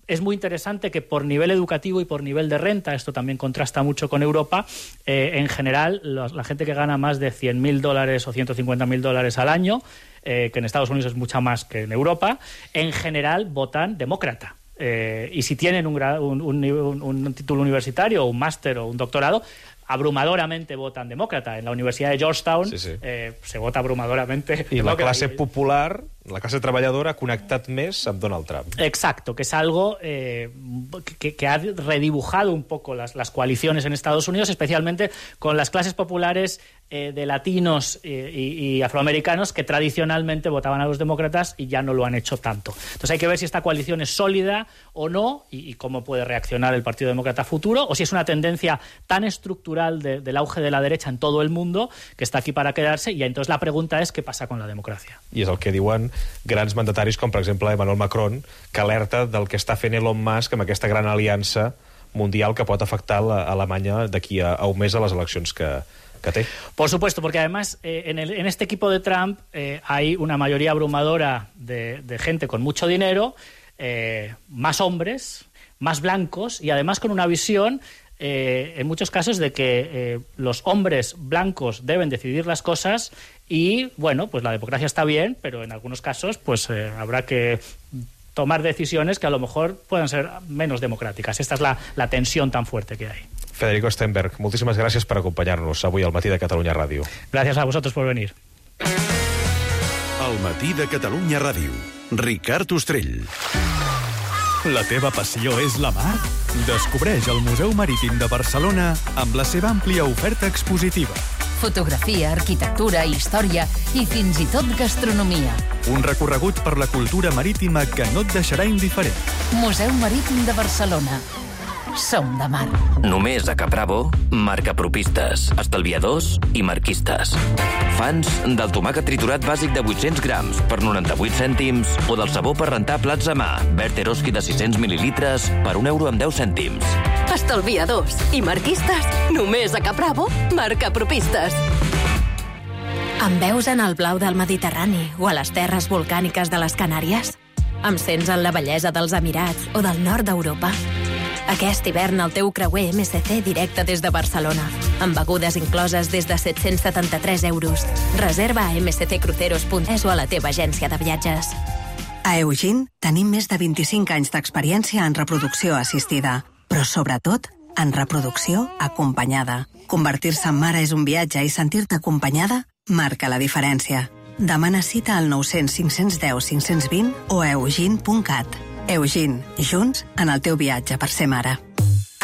Speaker 24: Es muy interesante que por nivel educativo y por nivel de renta, esto también contrasta mucho con Europa, eh, en general, los, la gente que gana más de cien mil dólares o ciento cincuenta mil dólares al año, eh, que en Estados Unidos es mucha más que en Europa, en general votan demócrata. Eh, y si tienen un, un, un, un título universitario, un máster o un doctorado, abrumadoramente votan demòcrata. En la Universitat de Georgetown sí, sí. Eh, se vota abrumadoramente
Speaker 2: I la classe popular, la classe treballadora, ha connectat més amb Donald Trump.
Speaker 24: Exacto, que es algo eh, que, que ha redibujado un poco las, las coaliciones en Estados Unidos, especialmente con las clases populares eh, de latinos eh, y, y afroamericanos que tradicionalmente votaban a los demócratas y ya no lo han hecho tanto. Entonces hay que ver si esta coalición es sólida o no y, y cómo puede reaccionar el Partido Demócrata futuro, o si es una tendencia tan estructural De, del auge de la derecha en todo el mundo que està aquí para quedarse, y entonces la pregunta es ¿qué pasa con la democracia?
Speaker 2: I és el que diuen grans mandataris com per exemple Emmanuel Macron, que alerta del que està fent Elon Musk amb aquesta gran aliança mundial que pot afectar a Alemanya d'aquí a, a un mes a les eleccions que, que té.
Speaker 24: Por supuesto, porque además eh, en, el, en este equipo de Trump eh, hay una mayoría abrumadora de, de gente con mucho dinero, eh, más hombres, más blancos, y además con una visión Eh, en muchos casos de que eh, los hombres blancos deben decidir las cosas y, bueno, pues la democracia está bien, pero en algunos casos pues eh, habrá que tomar decisiones que a lo mejor puedan ser menos democráticas. Esta es la, la tensión tan fuerte que hay.
Speaker 2: Federico Stenberg, moltíssimes gràcies per acompanyar-nos avui al Matí de Catalunya Ràdio.
Speaker 24: Gràcies a vosaltres por venir.
Speaker 12: Al Matí de Catalunya Ràdio, Ricard Ostrell.
Speaker 1: La teva passió és la mar? Descobreix el Museu Marítim de Barcelona amb la seva àmplia oferta expositiva.
Speaker 18: Fotografia, arquitectura, història i fins i tot gastronomia.
Speaker 1: Un recorregut per la cultura marítima que no et deixarà indiferent.
Speaker 18: Museu Marítim de Barcelona. Som de mar.
Speaker 3: Només a Capravo, marcapropistes, estalviadors i marquistes. Fans del tomàquet triturat bàsic de vuit-cents grams per noranta-vuit cèntims o del sabó per rentar plats a mà, Berteroski de sis-cents mil·lilitres per un euro amb deu cèntims.
Speaker 4: Estalviadors i marquistes, només a Capravo, marcapropistes.
Speaker 5: Em veus en el blau del Mediterrani o a les terres volcàniques de les Canàries? Em sents en la bellesa dels Emirats o del nord d'Europa? Aquest hivern el teu creuer M S C directe des de Barcelona, amb begudes incloses des de set-cents setanta-tres euros. Reserva a m s c cruceros punt es o a la teva agència de viatges.
Speaker 25: A Eugene tenim més de vint-i-cinc anys d'experiència en reproducció assistida, però sobretot en reproducció acompanyada. Convertir-se en mare és un viatge i sentir-te acompanyada marca la diferència. Demana cita al nou cents cinc-cents deu cinc-cents vint o a eugene punt cat. Eugene, junts en el teu viatge per ser mare.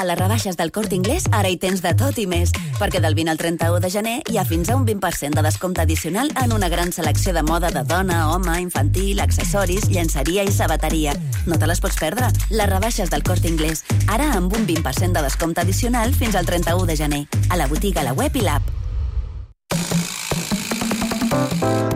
Speaker 4: A les rebaixes del Corte Inglés ara hi tens de tot i més, perquè del vint al trenta-u de gener hi ha fins a un vint per cent de descompte addicional en una gran selecció de moda de dona, home, infantil, accessoris, llenceria i sabateria. No te les pots perdre. Les rebaixes del Corte Inglés, ara amb un vint per cent de descompte addicional fins al trenta-u de gener. A la botiga, a la web i l'app.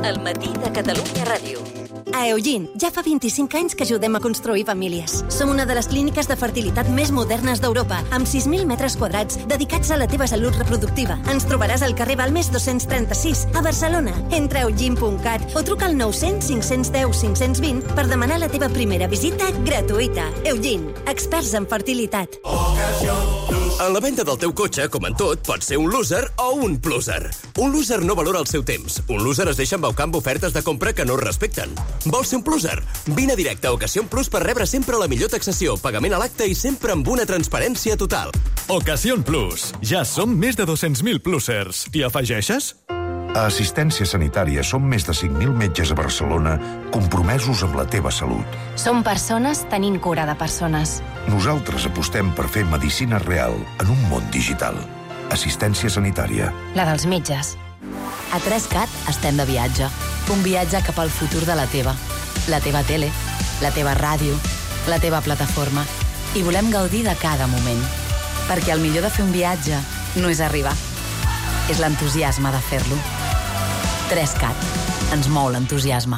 Speaker 4: El Matí de Catalunya Ràdio. A Eugene, ja fa vint-i-cinc anys que ajudem a construir famílies. Som una de les clíniques de fertilitat més modernes d'Europa, amb sis mil metres quadrats dedicats a la teva salut reproductiva. Ens trobaràs al carrer Balmes dos-cents trenta-sis, a Barcelona. Entra a eugene punt cat o truca al nou cents cinc-cents deu cinc-cents vint per demanar la teva primera visita gratuïta. Eugene, experts en fertilitat. Ocasión Plus.
Speaker 6: En la venda del teu cotxe, com en tot, pots ser un loser o un pluser. Un loser no valora el seu temps. Un loser es deixa embaucar amb ofertes de compra que no es respecten. Vols ser un pluser? Vine directe a Ocasión Plus per rebre sempre la millor taxació, pagament a l'acte i sempre amb una transparència total.
Speaker 1: Ocasión Plus. Ja som més de dos-cents mil plusers. T'hi afegeixes?
Speaker 7: A Assistència Sanitària som més de cinc mil metges a Barcelona compromesos amb la teva salut.
Speaker 5: Som persones tenint cura de persones.
Speaker 7: Nosaltres apostem per fer medicina real en un món digital. Assistència Sanitària.
Speaker 5: La dels metges. A tres cat estem de viatge. Un viatge cap al futur de la teva. La teva tele, la teva ràdio, la teva plataforma. I volem gaudir de cada moment. Perquè el millor de fer un viatge no és arribar. És l'entusiasme de fer-lo. tres cat. Ens mou l'entusiasme.